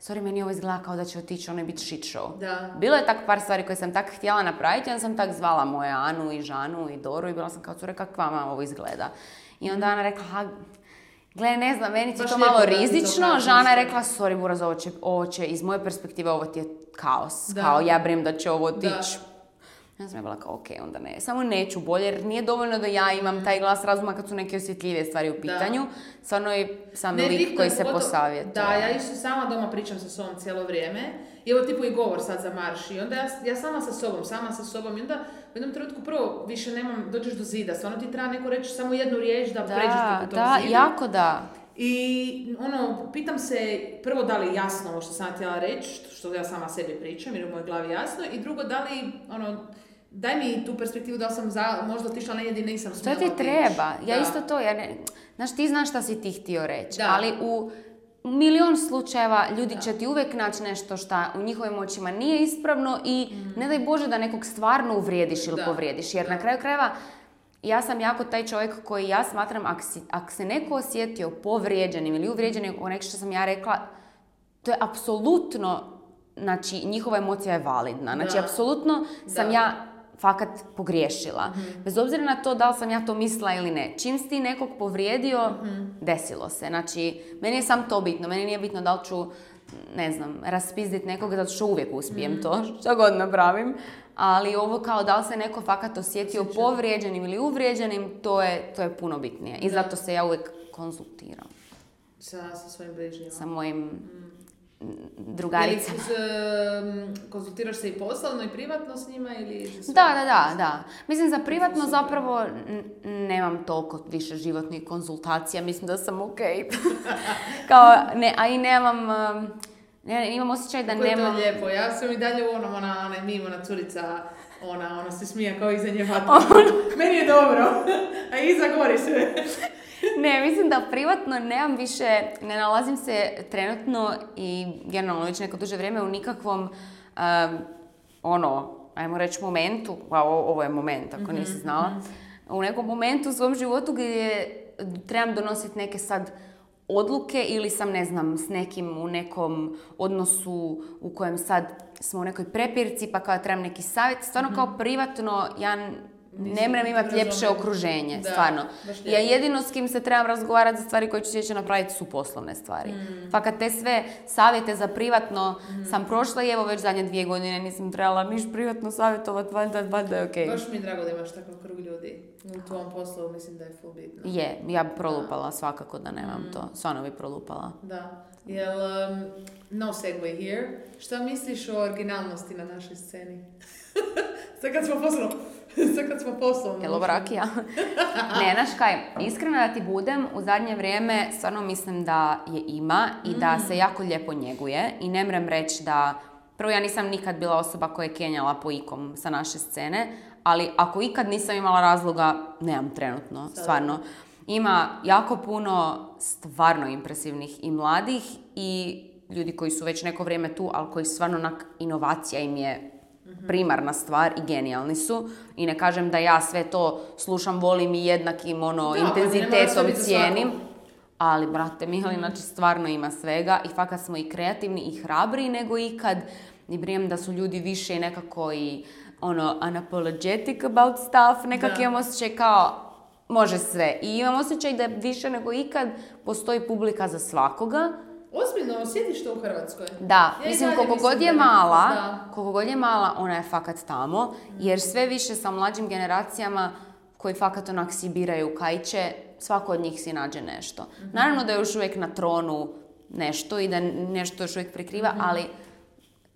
sorry, meni ovo izgleda kao da će otići, ono je biti shit show. Da. Bilo je tak par stvari koje sam tak htjela napraviti, onda sam tak zvala moje Anu i Žanu i Doru i bila sam kao, cure, kako vama ovo izgleda. I onda Ana rekla, ha, gle, ne znam, meni ti to malo rizično. Žana je rekla, sorry, Buraz, ovo će, ovo će, iz moje perspektive, ovo ti je kaos. Da. Kao, ja brem da će ovo otići. Ja sam je bila kao, ok, onda ne. Samo neću bolje, jer nije dovoljno da ja imam taj glas razuma kad su neke osjetljivije stvari u pitanju. Da. Stvarno je sam ne, lik koji se posavjetuje.
Da, ja isto sama doma pričam sa sobom cijelo vrijeme. I evo tipu i govor sad za marš. I onda ja, ja sama sa sobom, sama sa sobom. I onda u jednom trenutku prvo više nemam, dođeš do zida. Stvarno ti treba neko reći samo jednu riječ da, da pređeš preko tog
da,
zidu.
Jako da.
I ono, pitam se prvo da li je jasno ovo što sam htjela reći, što ja sama sebi pričam jer u mojoj glavi jasno. I drugo, da li, ono, daj mi tu perspektivu da sam za, možda otišla negdje gdje nisam smjela otići.
To ti treba. Ja da. Isto to. Ja ne, znaš, ti znaš šta si ti htio reći. Da. Ali u milion slučajeva ljudi da. Će ti uvijek naći nešto što u njihovim očima nije ispravno i mm. ne daj Bože da nekog stvarno uvrijediš ili da. Povrijediš. Jer da. Na kraju krajeva ja sam jako taj čovjek koji ja smatram ako, si, ako se neko osjetio povrijeđenim ili uvrijeđenim o nešto što sam ja rekla, to je apsolutno, znači njihova emocija je validna. Znači da. Apsolutno sam da. Ja fakat pogriješila. Mm-hmm. Bez obzira na to da li sam ja to mislila ili ne. Čim si ti nekog povrijedio, mm-hmm. desilo se. Znači, meni je sam to bitno. Meni nije bitno da li ću, ne znam, raspizditi nekoga, zato što uvijek uspijem mm-hmm. to, što god napravim. Ali ovo kao da li se neko fakat osjetio Sjeća. Povrijeđenim ili uvrijeđenim, to je, to je puno bitnije. I da. Zato se ja uvijek konzultiram.
Sa, sa svojim bližnjima.
Sa mojim... Mm. Drugarica.
Ili konzultiraš se i poslovno i privatno s njima? Ili
da, da, da, da. Mislim, za privatno zapravo n- nemam toliko više životnih konzultacija. Mislim da sam ok. Kao, ne, a i nemam... Ne, imam osjećaj da
Kako
nemam...
Kako je to lijepo. Ja sam i dalje u onom, ona, ona mimo, ona curica, ona, ona se smija kao iza nje vatra. Meni je dobro. A iza gori sve.
Ne, mislim da privatno nemam više, ne nalazim se trenutno i generalno već neko duže vrijeme u nikakvom, um, ono, ajmo reći momentu, a ovo je moment ako nisi znala, mm-hmm. u nekom momentu u svom životu gdje trebam donositi neke sad odluke ili sam, ne znam, s nekim u nekom odnosu u kojem sad smo u nekoj prepirci pa kao trebam neki savjet. Stvarno mm-hmm. kao privatno ja ne mrem imati ljepše okruženje, da, stvarno. Ja jedino s kim se trebam razgovarati za stvari koje ću sjeći napraviti su poslovne stvari. Mm. Pa kad te sve savjete za privatno mm. sam prošla i evo već zadnje dvije godine nisam trebala niš privatno savjetovati, valjda, valjda je okej. Okay.
Baš mi je drago da imaš takav krug ljudi. U tvom poslu mislim da je full bitno.
Je, ja bi prolupala da. Svakako da nemam mm. to. Stvarno bi prolupala.
Da. Jel, um, no segue here. Šta misliš o originalnosti na našoj sceni? Sad kad smo poslovno... Sad kad smo poslovno...
Jel ovo rakija? Ne, znaš kaj, iskreno da ti budem, u zadnje vrijeme stvarno mislim da je ima i mm. da se jako lijepo njeguje i ne mrem reći da... Prvo, ja nisam nikad bila osoba koja je kenjala po ikom sa naše scene, ali ako ikad nisam imala razloga, nemam trenutno, stvarno. Ima jako puno stvarno impresivnih i mladih i ljudi koji su već neko vrijeme tu, ali koji stvarno onak inovacija im je primarna stvar i genijalni su. I ne kažem da ja sve to slušam, volim i jednakim ono,
da,
intenzitetom cijenim. Ali, brate, Mihali, znači stvarno ima svega i fakat smo i kreativni i hrabri nego ikad. I brijem da su ljudi više nekako i ono, unapologetic about stuff. Nekak imam osjećaj kao može sve. I imam osjećaj da više nego ikad postoji publika za svakoga.
Ozbiljno, osjetiš to u Hrvatskoj?
Da, ja mislim koliko god je mala, koliko god je mala, ona je fakat tamo, mm. jer sve više sa mlađim generacijama koji fakat onak si biraju kajće, svako od njih si nađe nešto. Mm-hmm. Naravno da je još uvijek na tronu nešto i da nešto još uvijek prikriva, mm-hmm. ali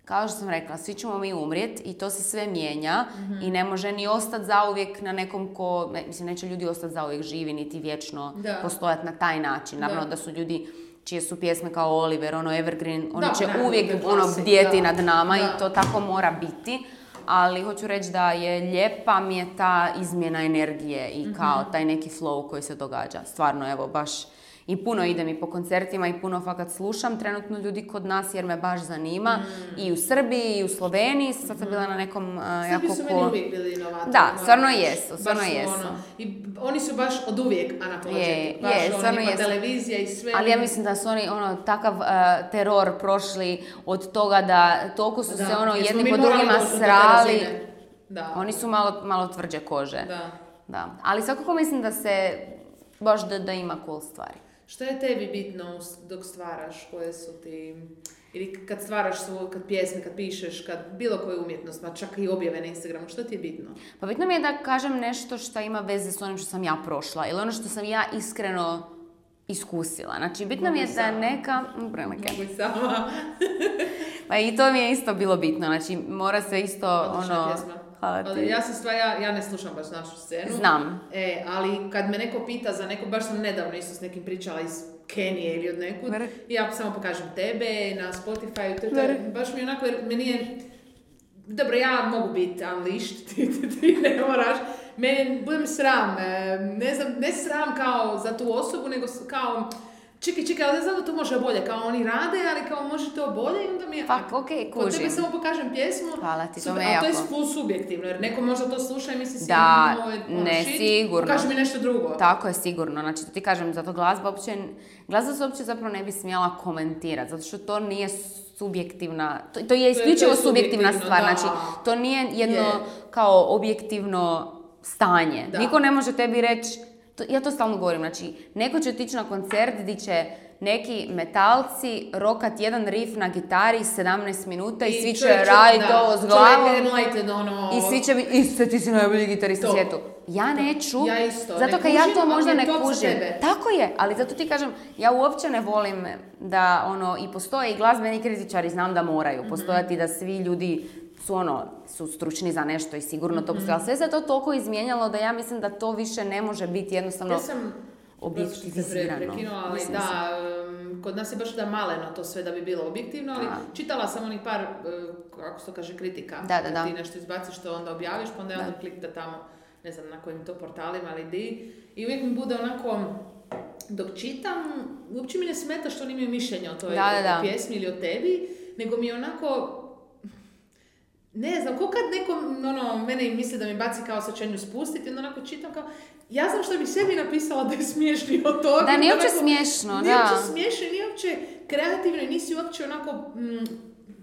kao što sam rekla, svi ćemo mi umrijeti i to se sve mijenja mm-hmm. i ne može ni ostati zauvijek na nekom ko, ne, mislim, neće ljudi ostati zauvijek živi, niti vječno da. postojati na taj način. Naravno da, da su ljudi čije su pjesme kao Oliver, ono Evergreen, oni da, će ne, uvijek ono bdjeti nad nama da. i to tako mora biti. Ali hoću reći da je lijepa mi je ta izmjena energije i kao mm-hmm. taj neki flow koji se događa. Stvarno, evo, baš i puno idem i po koncertima i puno fakat slušam trenutno ljudi kod nas jer me baš zanima. Mm. I u Srbiji i u Sloveniji. Sad sam bila na nekom uh, jako ko...
Srbiji su meni uvijek bili inovatori.
Da, stvarno jesu, stvarno jesu.
Ono, i oni su baš od uvijek Ana Project. Baš je, stvarno jesu. Televizija i sve.
Ali ja mislim da su oni ono takav uh, teror prošli od toga da toliko su da, se ono jedni po drugima srali. Da. Oni su malo, malo tvrđe kože. Da. Da. Ali svakako mislim da se baš da, da ima cool stvari.
Što je tebi bitno dok stvaraš? Koje su ti... Ili kad stvaraš svoj, kad pjesme, kad pišeš, kad bilo koju umjetnost, pa čak i objave na Instagramu, što ti je bitno?
Pa bitno mi je da kažem nešto što ima veze s onim što sam ja prošla. Ili ono što sam ja iskreno iskusila. Znači, bitno Mogu mi je sama. da neka... Prelike.
Mogu sama.
Pa i to mi je isto bilo bitno. Znači, mora se isto
Odlična
ono...
Pjesma. Ja sam stvar, ja, ja ne slušam baš našu scenu.
Znam.
E, ali kad me neko pita za neko, baš sam nedavno isto s nekim pričala iz Kenije ili od nekud, i ja samo pokažem tebe na Spotify, to, to, baš mi onako, jer meni je, dobro, ja mogu biti unleashed, ti, ti, ti ne moraš, meni budem sram, ne znam, ne sram kao za tu osobu, nego kao, čekaj, čekaj, ali ne znam da to može bolje, kao oni rade, ali kao može to bolje i onda mi je...
Pa, okej, okay, kužim.
Kod tebe samo pokažem pjesmu,
hvala ti, to
super,
me jako.
A to je full subjektivno, jer neko možda to sluša i misli si
da,
moj,
ne, shit, sigurno.
Pokaži mi nešto drugo.
Tako je, sigurno. Znači, to ti kažem, zato glazba uopće, glazba se uopće zapravo ne bi smjela komentirati, zato što to nije subjektivna, to, to je isključivo to je, to je subjektivna stvar, da. Znači, to nije jedno je. kao objektivno stanje. Da. Niko ne može tebi reći, to, ja to stalno govorim, znači, neko će otići na koncert gdje će neki metalci rokat jedan riff na gitari sedamnaest minuta i, i svi će raditi ovo s glavom
ono...
i svi će biti, iste ti si najbolji gitarist u svijetu. Ja neću,
ja isto,
zato kad ja to možda ne kužim.
Tebe.
Tako je, ali zato ti kažem, ja uopće ne volim da ono, i postoje i glazbeni kritičari, znam da moraju mm-hmm. postojati, da svi ljudi su ono, su stručni za nešto i sigurno to postoje, ali sve se to toliko izmijenjalo da ja mislim da to više ne može biti jednostavno...
Ja sam... objektivizirano. Prekinula, ali mislim da, um, kod nas je baš da maleno to sve da bi bilo objektivno, ali da. Čitala sam onih par, uh, kako se to kaže, kritika.
Da, da, da.
Ti nešto izbaciš što onda objaviš, pa onda je onda klik da tamo, ne znam na kojim to portalima, ali di. I uvijek mi bude onako, dok čitam, uopće mi ne smeta što oni imaju mišljenje o toj
da, da, da.
pjesmi ili o tebi, nego mi je onako... Ne znam, ko kad neko ono, mene misli da mi baci kao sačenju spustiti, onda onako čitam kao, ja znam što bi sebi napisala da je smiješni od toga.
Da, nije uopće smiješno,
nije
da.
Nije uopće smiješno, nije uopće kreativno i nisi uopće onako, mm,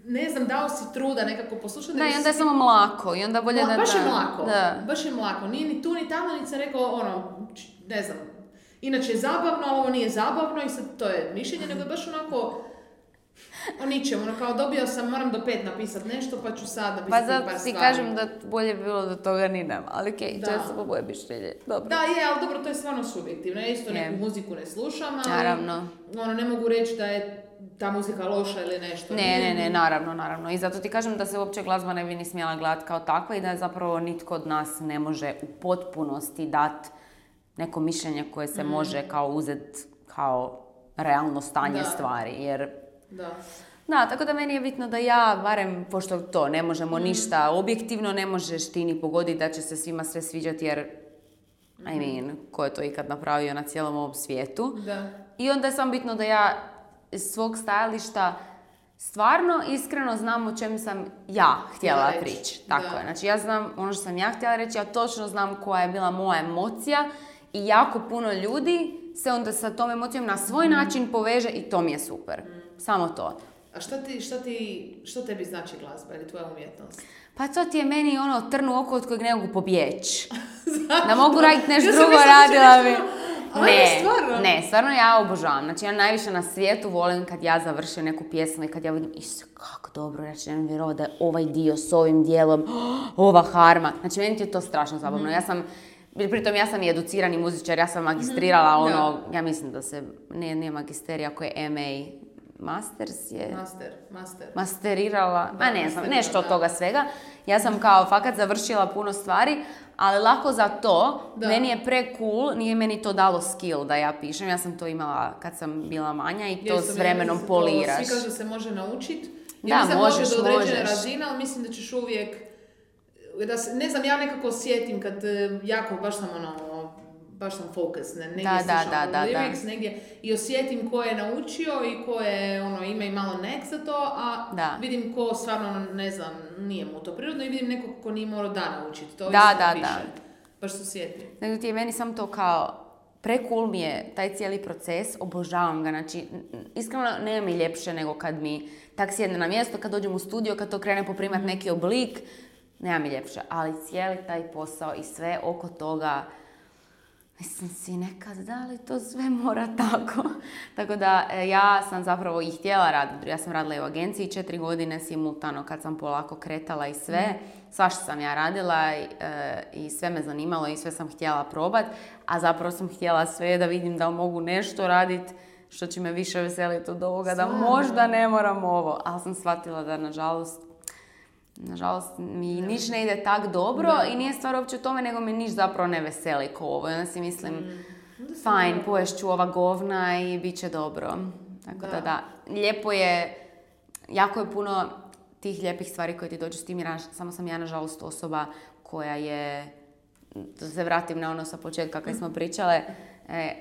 ne znam, dao si truda nekako poslušati.
Da, i onda je si... samo mlako i onda bolje da...
Baš
da.
je mlako,
da.
baš je mlako. Nije ni tu ni tamo, ni sam rekao, ono, ne znam, inače je zabavno, ali ovo nije zabavno i sad to je mišljenje, nego je baš onako... O ničem, ono kao dobio sam, moram do pet napisati nešto, pa ću sad napisati
pa
par stvari.
Pa zato ti kažem da bolje bi bilo da toga ni nema, ali okej, okay, često po boje mišljenje, dobro.
Da, je, ali dobro, to je stvarno subjektivno, ja isto neku muziku ne slušam, ali
naravno.
Ono, ne mogu reći da je ta muzika loša ili nešto.
Ne, ne, ne, naravno, naravno. I zato ti kažem da se uopće glazba ne bi ni smjela gledati kao takva i da je zapravo nitko od nas ne može u potpunosti dati neko mišljenje koje se mm. može kao uzeti kao realno stanje da. stvari, jer...
Da.
Da, tako da meni je bitno da ja, barem, pošto to, ne možemo mm. ništa objektivno, ne možeš ti ni pogoditi da će se svima sve sviđati, jer, mm. I mean, ko je to ikad napravio na cijelom ovom svijetu.
Da.
I onda je samo bitno da ja iz svog stajališta stvarno, iskreno znam o čemu sam ja htjela prići. Tako da. je, znači ja znam ono što sam ja htjela reći, ja točno znam koja je bila moja emocija i jako puno ljudi se onda sa tom emocijom na svoj mm. način poveže i to mi je super. Mm. Samo to.
A što ti, što ti, što tebi znači glazba ili tvoja umjetnost?
Pa to ti je meni ono trn u oko od kojeg ne mogu pobjeći. Da mogu raditi nešto ja drugo, radila bi. Ne, stvarno? ne, stvarno ja obožavam. Znači ja najviše na svijetu volim kad ja završim neku pjesmu i kad ja vidim, isuse, kako dobro, znači ne vjerovati da je ovaj dio s ovim dijelom, oh, ova harma. Znači meni ti je to strašno zabavno. Mm. Ja sam, pritom ja sam i educirani muzičar, ja sam magistrirala mm. ono, ja mislim da se, ne, nije magisterija, ako je M A, masters je...
Master, master.
Masterirala,
Da,
a ne znam, nešto od
da.
toga svega. Ja sam kao fakat završila puno stvari, ali lako za to,
Da.
meni je pre cool, nije meni to dalo skill da ja pišem. Ja sam to imala kad sam bila manja i to
Jesu,
s vremenom
to,
poliraš.
Svi kažu da se može naučiti.
Da,
Ja mislim
možeš,
može do određene
možeš.
razine, ali mislim da ćeš uvijek... Da se, ne znam, ja nekako osjetim kad e, jako, baš sam ono, baš sam focus, ne, negdje
Da, da,
slušam
da, da,
lyrics,
da.
negdje, i osjetim ko je naučio i ko je, ono, ima i malo nek za to, a
Da.
vidim ko stvarno, ne znam, nije mu to prirodno i vidim nekog ko nije morao da naučiti, to
Da,
isto
da,
piše.
da.
Baš se osjetim.
Nego ti je meni sam to kao, pre cool mi je taj cijeli proces, obožavam ga, znači n- n- iskreno nema mi ljepše nego kad mi tak sjedne na mjesto, kad dođem u studio, kad to krene poprimat neki oblik, nema mi ljepše, ali cijeli taj posao i sve oko toga, mislim si nekad, da li to sve mora tako? Tako da e, ja sam zapravo i htjela raditi, ja sam radila i u agenciji četiri godine simultano kad sam polako kretala i sve, svašta sam ja radila i, e, i sve me zanimalo i sve sam htjela probat, a zapravo sam htjela sve da vidim da li mogu nešto raditi što će me više veseliti od ovoga, da
Stvarno?
možda ne moram ovo, ali sam shvatila da nažalost Nažalost, mi
Da.
niš ne ide tak dobro
Da.
i nije stvar uopće u tome, nego me niš zapravo ne veseli ko ovo. I onda si mislim,
Onda se
fajn,
mora-
poješ ću ova govna i bit će dobro. Tako da.
Da.
da, lijepo je, jako je puno tih lijepih stvari koje ti dođu s tim, jer naž- samo sam ja nažalost osoba koja je, da se vratim na ono sa početka kad smo pričale, e,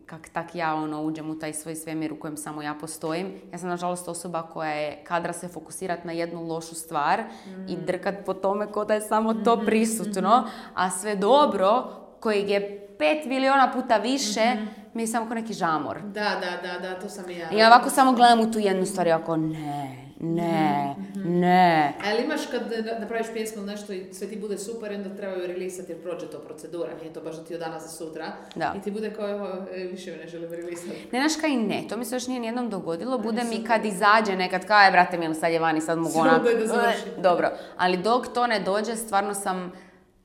kak tak ja ono uđem u taj svoj svemir u kojem samo ja postojim. Ja sam nažalost osoba koja je kadra se fokusirati na jednu lošu stvar i drkat po tome ko da je samo to prisutno, a sve dobro kojeg je pet miliona puta više mi je samo ko neki žamor.
Da, da, da, da, to sam i ja.
I ja ovako samo gledam u tu jednu stvar i ovako ne, ne, ne.
A jel imaš kad napraviš pjesmu ili nešto i sve ti bude super i onda trebaju relisati jer prođe to procedura, nije to baš da ti od danas za sutra.
Da.
I ti bude kao, evo, e, više me ne želim relisati.
Ne, znaš kaj, ne, to mi se još nije nijednom dogodilo, bude mi kad izađe nekad, kao je, brate mili, sad je vani, sad mogu onak,
Daj da završim.
dobro, ali dok to ne dođe, stvarno sam,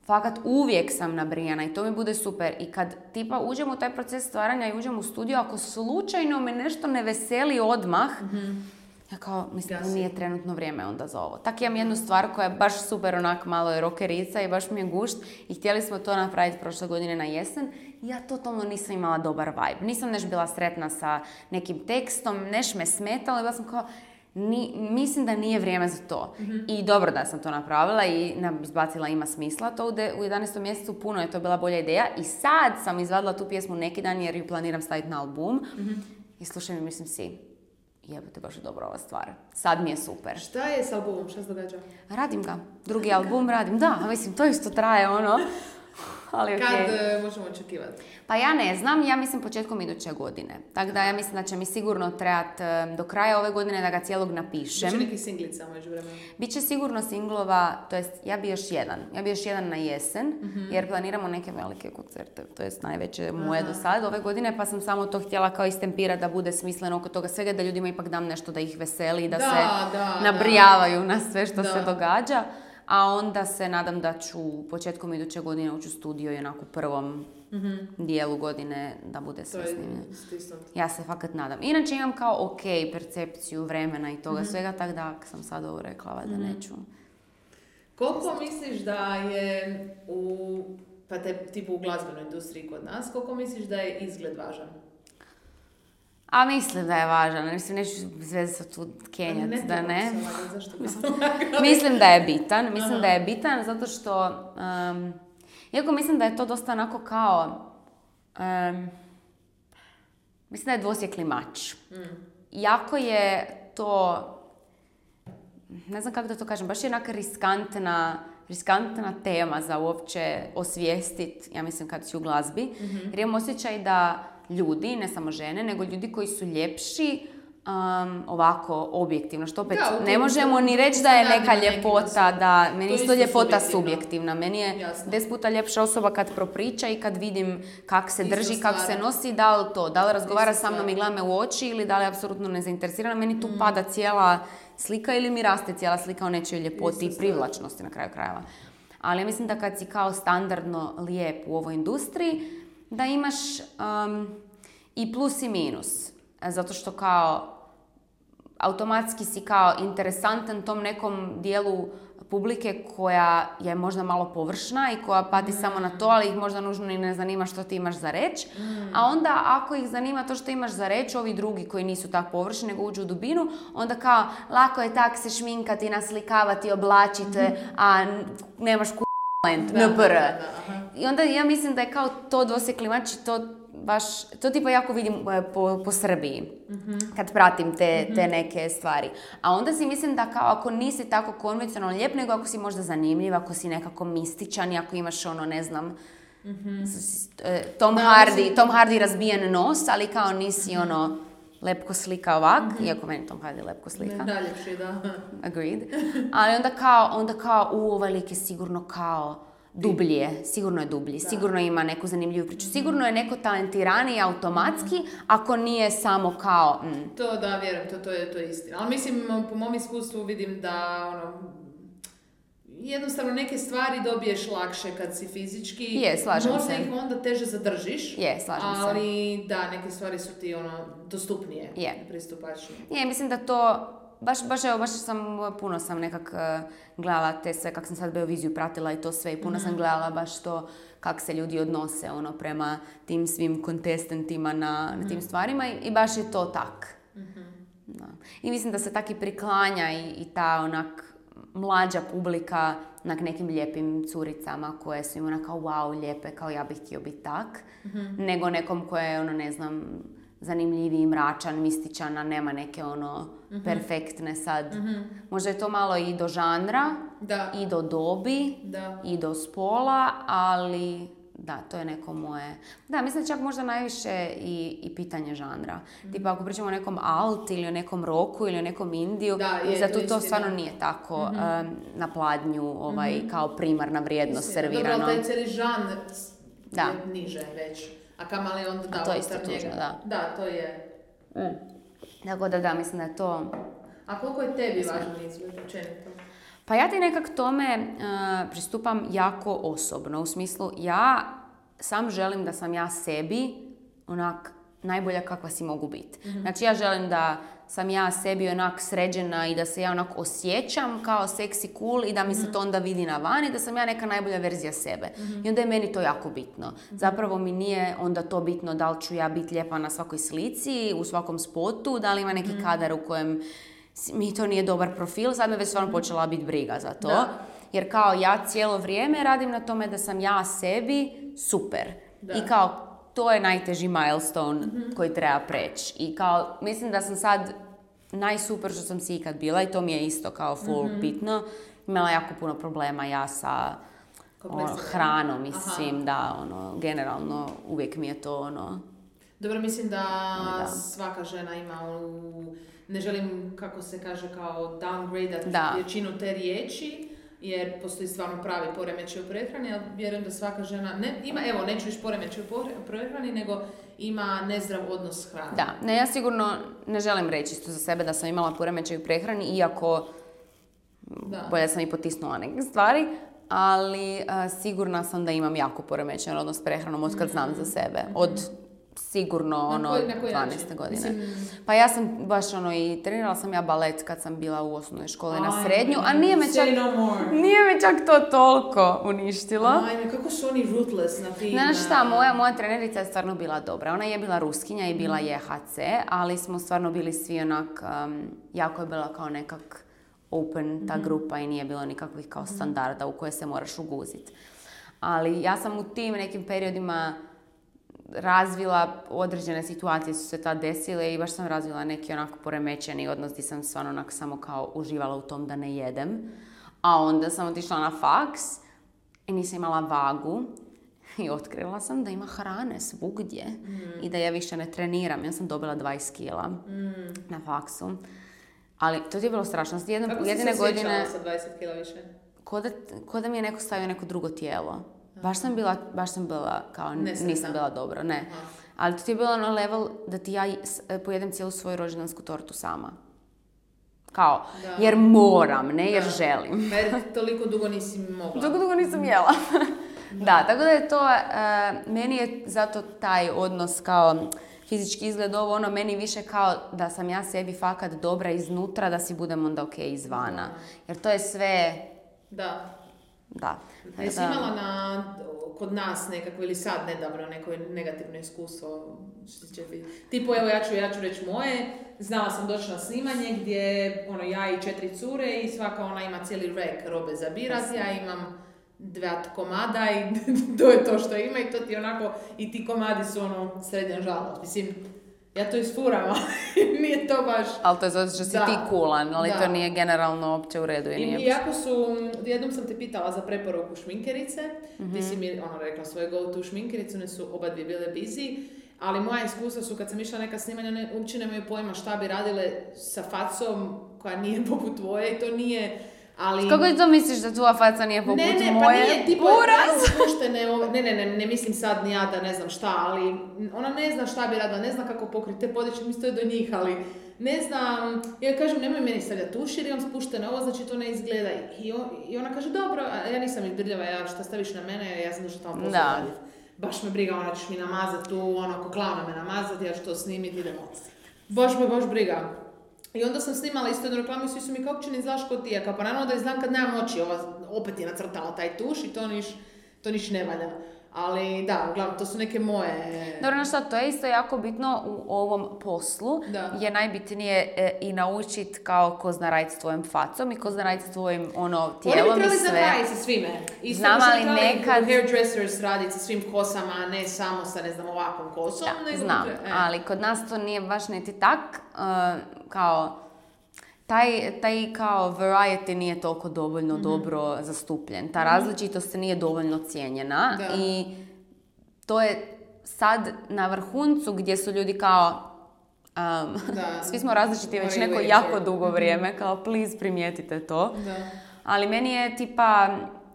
fakat uvijek sam nabrijana i to mi bude super. I kad tipa uđem u taj proces stvaranja i uđem u studio, ako slučajno me nešto ne veseli odmah, ja kao, mislim da
Gasi.
nije trenutno vrijeme onda za ovo. Tak imam jednu stvar koja je baš super onak malo je rockerica i baš mi je gušt i htjeli smo to napraviti prošle godine na jesen i ja totalno nisam imala dobar vibe. Nisam neš bila sretna sa nekim tekstom, neš me smetalo i bila sam kao, ni, mislim da nije vrijeme za to. I dobro da sam to napravila i na- izbacila ima smisla to u, de, u jedanaestom mjesecu, puno je to bila bolja ideja i sad sam izvadila tu pjesmu neki dan jer ju planiram staviti na album i slušam i mislim si, jebote, baš je dobra ova stvar. Sad mi je super.
Šta je s albumom, šta se događa?
Radim ga. Drugi album radim. Da, mislim, to isto traje ono. Ali okej.
Kad e, možemo očekivati?
Pa ja ne znam, ja mislim početkom iduće godine. Tako da ja mislim da će mi sigurno trebati do kraja ove godine da ga cijelog napišem.
Biće neki singlica među vremenu.
Biće sigurno singlova, to jest ja bi još jedan. Ja bi još jedan na jesen, jer planiramo neke velike koncerte, to jest najveće moje
Aha.
do sad ove godine, pa sam samo to htjela kao istempirati da bude smisleno oko toga svega, da ljudima ipak dam nešto da ih veseli, da,
Da,
se
da,
nabrijavaju na sve što
Da.
se događa. A onda se nadam da ću početkom iduće godine ući u studio i onako u prvom dijelu godine da bude
To
sve
je
snimljeno.
stisnut.
Ja se fakat nadam. Inače imam kao ok percepciju vremena i toga svega, tako da ako sam sad ovo rekla, da neću.
Koliko misliš da je u, pa te tipu u glazbenoj industriji kod nas, koliko misliš da je izgled važan?
A mislim da je važan, mislim neću sve se tu kenjati,
Ne
da
trebamo
ne.
se lagati, zašto bi se lagali?
Mislim da je bitan, mislim da je bitan zato što, um, iako mislim da je to dosta onako kao, um, mislim da je dvosjekli mač. Jako je to, ne znam kako da to kažem, baš je onaka riskantna, riskantna tema za uopće osvijestiti, ja mislim kad si u glazbi, jer imam osjećaj da ljudi, ne samo žene, nego ljudi koji su ljepši, um, ovako objektivno, što opet
Da, u
ne
tom
možemo
se-
ni
tu
reći
se
da je
radi
neka
na nekim
ljepota,
osobama.
da meni
To je
isto
isto
ljepota
subjektivno.
subjektivna, meni je
Jasno.
deset puta ljepša osoba kad propriča i kad vidim kak se
Isto
drži, kak se
stvar.
nosi, da li to, da li razgovara
Isto
sa mnom
stvar.
i gleda me u oči ili da li je apsolutno nezainteresirana, meni tu pada cijela slika ili mi raste cijela slika o nečijoj ljepoti
Isto
i
stvar.
privlačnosti na kraju krajeva. Ali ja mislim da kad si kao standardno lijep u ovoj industriji, da imaš um, i plus i minus. Zato što kao automatski si kao interesantan tom nekom dijelu publike koja je možda malo površna i koja pati mm. samo na to, ali ih možda nužno i ne zanima što ti imaš za reći. Mm. A onda ako ih zanima to što imaš za reći, ovi drugi koji nisu tako površni nego uđu u dubinu, onda kao lako je tak se šminkati, naslikavati, oblačiti, mm. a nemaš ku...
Da, da, da,
I onda ja mislim da je kao to dvosjekli mač i to baš, to tipa jako vidim po, po Srbiji, mm-hmm. kad pratim te, te neke stvari. A onda si mislim da kao ako nisi tako konvencionalno lijep, nego ako si možda zanimljiv, ako si nekako mističan i ako imaš ono, ne znam, mm-hmm. Tom, da, Hardy, mislim... Tom Hardy razbijen nos, ali kao nisi mm-hmm. ono lepko slika ovak, mm-hmm. iako meni Tom Hardy lepko slika.
Ne, daljepši, da.
Agreed. Ali onda kao, onda kao, u, ovaj lik je sigurno kao dublji je, sigurno je dublji, da. Sigurno ima neku zanimljivu priču, sigurno je neko talentiraniji automatski, ako nije samo kao... Mm.
To da, vjerujem, to, to, je, to je istina. Ali mislim, po mom iskustvu vidim da ono, jednostavno neke stvari dobiješ lakše kad si fizički.
Je, slažem
možda
se.
Možda ih onda teže zadržiš.
Je, slažem
ali,
se.
Ali da, neke stvari su ti ono, dostupnije,
je.
Pristupačnije.
Je, mislim da to... Baš, baš, evo, baš sam, puno sam nekak uh, gledala te sve, kak sam sad Beoviziju pratila i to sve i puno mm-hmm. sam gledala baš to kak se ljudi odnose ono, prema tim svim kontestentima na, mm-hmm. na tim stvarima i, i baš je to tak. Mm-hmm. Da. I mislim da se tak i priklanja i, i ta onak mlađa publika onak nekim lijepim curicama koje su im onak kao wow, lijepe, kao ja bih htio biti tak, mm-hmm. nego nekom koje je ono, ne znam, zanimljiviji, mračan, mističan, a nema neke ono mm-hmm. perfektne sad. Mm-hmm. Možda je to malo i do žanra,
da.
I do dobi,
da.
I do spola, ali da, to je neko moje... Da, mislim čak možda najviše i, i pitanje žanra. Mm-hmm. Tipa ako pričamo o nekom alt ili o nekom roku ili o nekom indiju, zato to, to stvarno nije tako mm-hmm. um, na pladnju ovaj, mm-hmm. kao primarna vrijednost istina. Servirano.
Dobro, taj cijeli žanr
da.
Je niže već. A kamali onda da,
a to je isto tužno, da.
Da, to je.
Mm. Tako da da, mislim da je to...
A koliko je tebi važan izgled općenito?
Pa ja ti nekak tome uh, pristupam jako osobno. U smislu, ja sam želim da sam ja sebi onak najbolja kakva si mogu biti. Mm-hmm. Znači ja želim da sam ja sebi onak sređena i da se ja onak osjećam kao seksi cool i da mi mm-hmm. se to onda vidi na van i da sam ja neka najbolja verzija sebe. Mm-hmm. I onda je meni to jako bitno. Mm-hmm. Zapravo mi nije onda to bitno da li ću ja biti lijepa na svakoj slici, u svakom spotu, da li ima neki mm-hmm. kadar u kojem mi to nije dobar profil. Sad me već stvarno počela biti briga za to. Da. Jer kao ja cijelo vrijeme radim na tome da sam ja sebi super. Da. I kao to je najteži milestone mm-hmm. koji treba preći. I kao, mislim da sam sad najsuper što sam si ikad bila i to mi je isto kao full mm-hmm. bitno. Imala jako puno problema ja sa ono, hranom i svim, da, ono, generalno uvijek mi je to ono...
Dobro, mislim da, da. svaka žena ima u... Ne želim, kako se kaže, kao downgrade većinu te riječi, jer postoji stvarno pravi poremećaj u prehrani, ali vjerujem da svaka žena, ne, ima, evo, neću više poremećaj u prehrani, nego ima nezdrav odnos s hranom.
Da, ne, ja sigurno ne želim reći isto za sebe da sam imala poremećaj u prehrani, iako da. Bolje sam i potisnula neke stvari, ali uh, sigurna sam da imam jako poremećaj odnos s prehranom od kad znam mm-hmm. za sebe. Od sigurno ono dvanaeste godine. Mislim... Pa ja sam baš ono i trenirala sam ja balet kad sam bila u osnovnoj školi na srednju, a nije me čak,
no
nije me čak to toliko uništilo.
Ajme, kako su oni ruthless na tim...
Znaš šta, moja, moja trenerica je stvarno bila dobra. Ona je bila Ruskinja i bila je H C, ali smo stvarno bili svi onak, um, jako je bila kao nekak open ta grupa i nije bilo nikakvih kao standarda u koje se moraš uguziti. Ali ja sam u tim nekim periodima razvila, određene situacije su se tad desile i baš sam razvila neki onako poremećeni odnos gdje sam stvarno onako samo kao uživala u tom da ne jedem. A onda sam otišla na faks i nisam imala vagu i otkrila sam da ima hrane svugdje mm. i da ja više ne treniram. Ja sam dobila dvadeset kila mm. na faksu. Ali to je bilo strašno. Jedno,
Kako
jedine
si se
godine,
osjećala sa dvadeset kila više?
Ko da, ko da mi je neko stavio neko drugo tijelo. Baš sam bila, baš sam bila kao, Nesretna. nisam bila dobro, ne. Aha. Ali to ti je bilo na level da ti ja pojedem cijelu svoju rođendansku tortu sama. Kao, da. Jer moram, ne jer da. želim.
Jer toliko dugo nisi mogla.
Dugo, dugo nisam jela. Da. Da, tako da je to, uh, meni je zato taj odnos kao fizički izgled ovo, ono, meni više kao da sam ja sebi fakat dobra iznutra, da si budem onda ok izvana. Jer to je sve...
Da.
Da.
A jesi imala na, kod nas nekako ili sad nedavno neko negativno iskustvo? Tipo, evo ja ću, ja ću reći moje. Znala sam doći na snimanje gdje ono, ja i četiri cure i svaka ona ima cijeli rek robe za birat. Ja imam dva komada i to je to što ima i to ti onako, i ti komadi su ono srednja žalost. Mislim, ja to isfuram, ali nije to baš...
Ali to je zato što si
da,
ti coolan, ali
da.
To nije generalno opće u redu. I,
I,
nije...
i ako su, jednom sam te pitala za preporuku šminkerice, mm-hmm. ti si mi ono, rekla svoje go-to šminkerice, one su oba dvije bile busy, ali moja iskustva su kad sam išla neka snimanja, ne, uopće nemaju pojma šta bi radile sa facom koja nije poput tvoje i to nije... Ali...
Kako to misliš da tvoja faca nije poput moje?
Ne, ne,
moje?
pa nije, tipo, puštene ove, ne, ne, ne, ne mislim sad ni ja da ne znam šta, ali ona ne zna šta bi radila, ne zna kako pokriti te podiče, mi stoje do njih, ali ne znam, ja kažem, nemoj meni stavljati tuš jer imam spuštene ovo, znači to ne izgleda. I, on, i ona kaže, dobro, a ja nisam izbirljava, ja šta staviš na mene, ja sam došla tamo posao raditi. Baš me briga, ona ćeš mi namazati tu, ono, ako klavna me namazati, ja ću to snimiti, idemo. Baš me, baš briga. I onda sam snimala isto jednu reklamu i svi su mi kao uopće ne znaš ko ti je, kao pa naravno da je znam kad nemam oči, ova opet je nacrtala taj tuš i to niš, to niš ne valja. Ali da, uglavnom, to su neke moje...
Dobro, no šta, to je isto jako bitno u ovom poslu, da. Je najbitnije e, i naučiti kao ko zna raditi s tvojim facom i ko zna raditi s tvojim ono, tijelom i sve. Oni bi trebali
raditi sa svime. Isto
znam, ali nekad...
hairdressers raditi sa svim kosama, a ne samo sa, ne znam, ovakvom kosom.
Da, nego znam, e. ali kod nas to nije baš niti tak, uh, kao... Taj, taj kao variety nije toliko dovoljno mm-hmm. dobro zastupljen. Ta različitost nije dovoljno cijenjena da. I to je sad na vrhuncu gdje su ljudi kao um, svi smo različiti već neko jako dugo vrijeme, mm-hmm. kao please primijetite to. Da. Ali meni je tipa,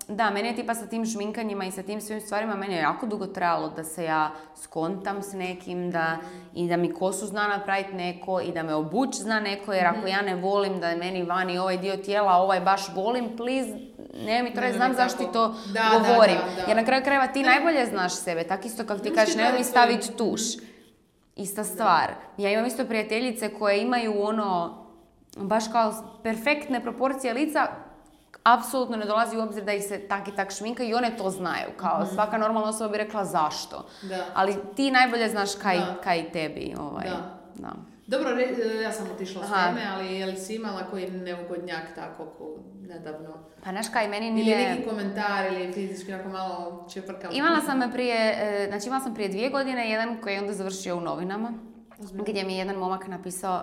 da, meni je tipa sa tim šminkanjima i sa tim svim stvarima, meni je jako dugo trebalo da se ja skontam s nekim, da, i da mi kosu zna napraviti neko i da me obuć zna neko, jer ako ja ne volim da je meni vani ovaj dio tijela, ovaj baš volim, please, ne mi to reći, znam zašto ti to da, govorim. Da, da, da. Jer na kraju krajeva ti ne. Najbolje znaš sebe, tak isto kako ti kažeš, nemoj mi staviti tuš. Ista stvar. Ja imam isto prijateljice koje imaju ono, baš kao perfektne proporcije lica, apsolutno ne dolazi u obzir da ih se tak i tak šminka i one to znaju. Kao mm-hmm. svaka normalna osoba bi rekla zašto. Da. Ali ti najbolje znaš kaj, kaj tebi. Ovaj. Da. Da.
Dobro, re, ja sam otišla s teme, ali je li si imala koji neugodnjak tako ko nedavno?
Pa znaš kaj, meni nije...
Ili neki komentar ili fizički onako malo čeprkam?
Imala sam prije, znači imala sam prije dvije godine jedan koji je onda završio u novinama. Ozbiljno. Gdje mi je jedan momak napisao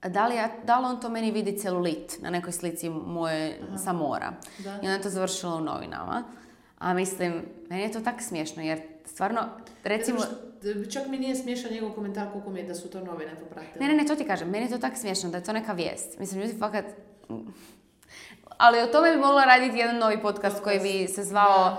Da li, ja, da li on to meni vidi celulit na nekoj slici moje Aha. sa mora. Da. I onda je to završilo u novinama. A mislim, meni je to tako smiješno jer stvarno, recimo...
Čak mi nije smiješan njegov komentar koliko mi je da su to novine popratile.
Ne, ne, ne, to ti kažem. Meni je to tako smiješno da je to neka vijest. Mislim, ljudi fakat... Ali o tome bi mogla raditi jedan novi podcast, podcast. koji bi se zvao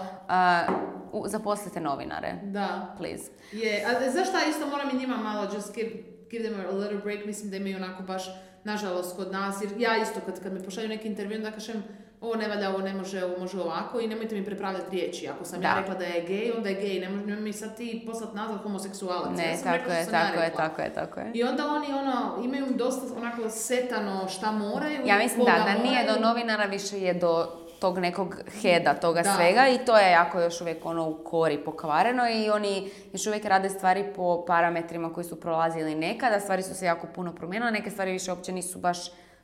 uh, Zaposlite novinare. Da. Please.
Je, a zašto isto moram i njima malo just give... give them a little break, mislim da imaju onako baš, nažalost, kod nas, jer ja isto kad, kad mi pošalju neki intervju, da kažem, ovo ne valja, ovo ne može, ovo može ovako i nemojte mi prepravljati riječi. Ako sam da. ja rekla da je gej, onda je gej, ne može mi sad ti poslati nazad homoseksualac.
Ne,
ja sam
tako
rekla
je,
što
tako
ja
je, tako je, tako je.
I onda oni ono, imaju dosta onako setano šta moraju.
Ja mislim da, da nije do novinara, više je do tog nekog heda, toga da. svega i to je jako još uvijek ono u kori pokvareno i oni još uvijek rade stvari po parametrima koji su prolazili nekada, stvari su se jako puno promijenile, neke stvari više uopće nisu baš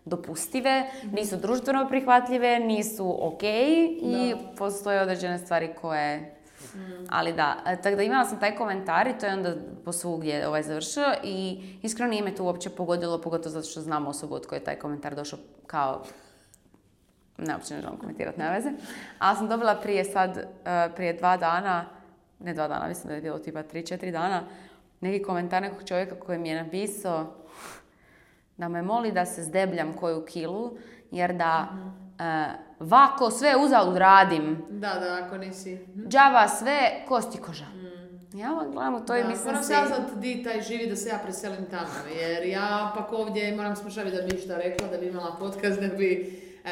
dopustive, mm-hmm. nisu društveno prihvatljive, nisu ok i da. postoje određene stvari koje... Mm. Ali da, tako da imala sam taj komentar i to je onda posvugdje ovaj završio i iskreno nije me to uopće pogodilo, pogotovo zato što znam osobu od koje je taj komentar došao kao... Ne, uopće ne želim komentirati, nema veze. Ali sam dobila prije sad, uh, prije dva dana, ne dva dana, mislim da je bilo tipa tri, četiri dana, neki komentar nekog čovjeka koji mi je napisao da me moli da se zdebljam koju kilu, jer da uh, vako sve uzalud radim.
Da, da, ako nisi.
Džava sve, kosti koža. Mm. Ja vam gledam u to i mislim
moram si... Moram saznat di taj živi da se ja preselim tamo, jer ja pak ovdje moram smušaviti da bi išta rekla, da bi imala podcast, da bi... E,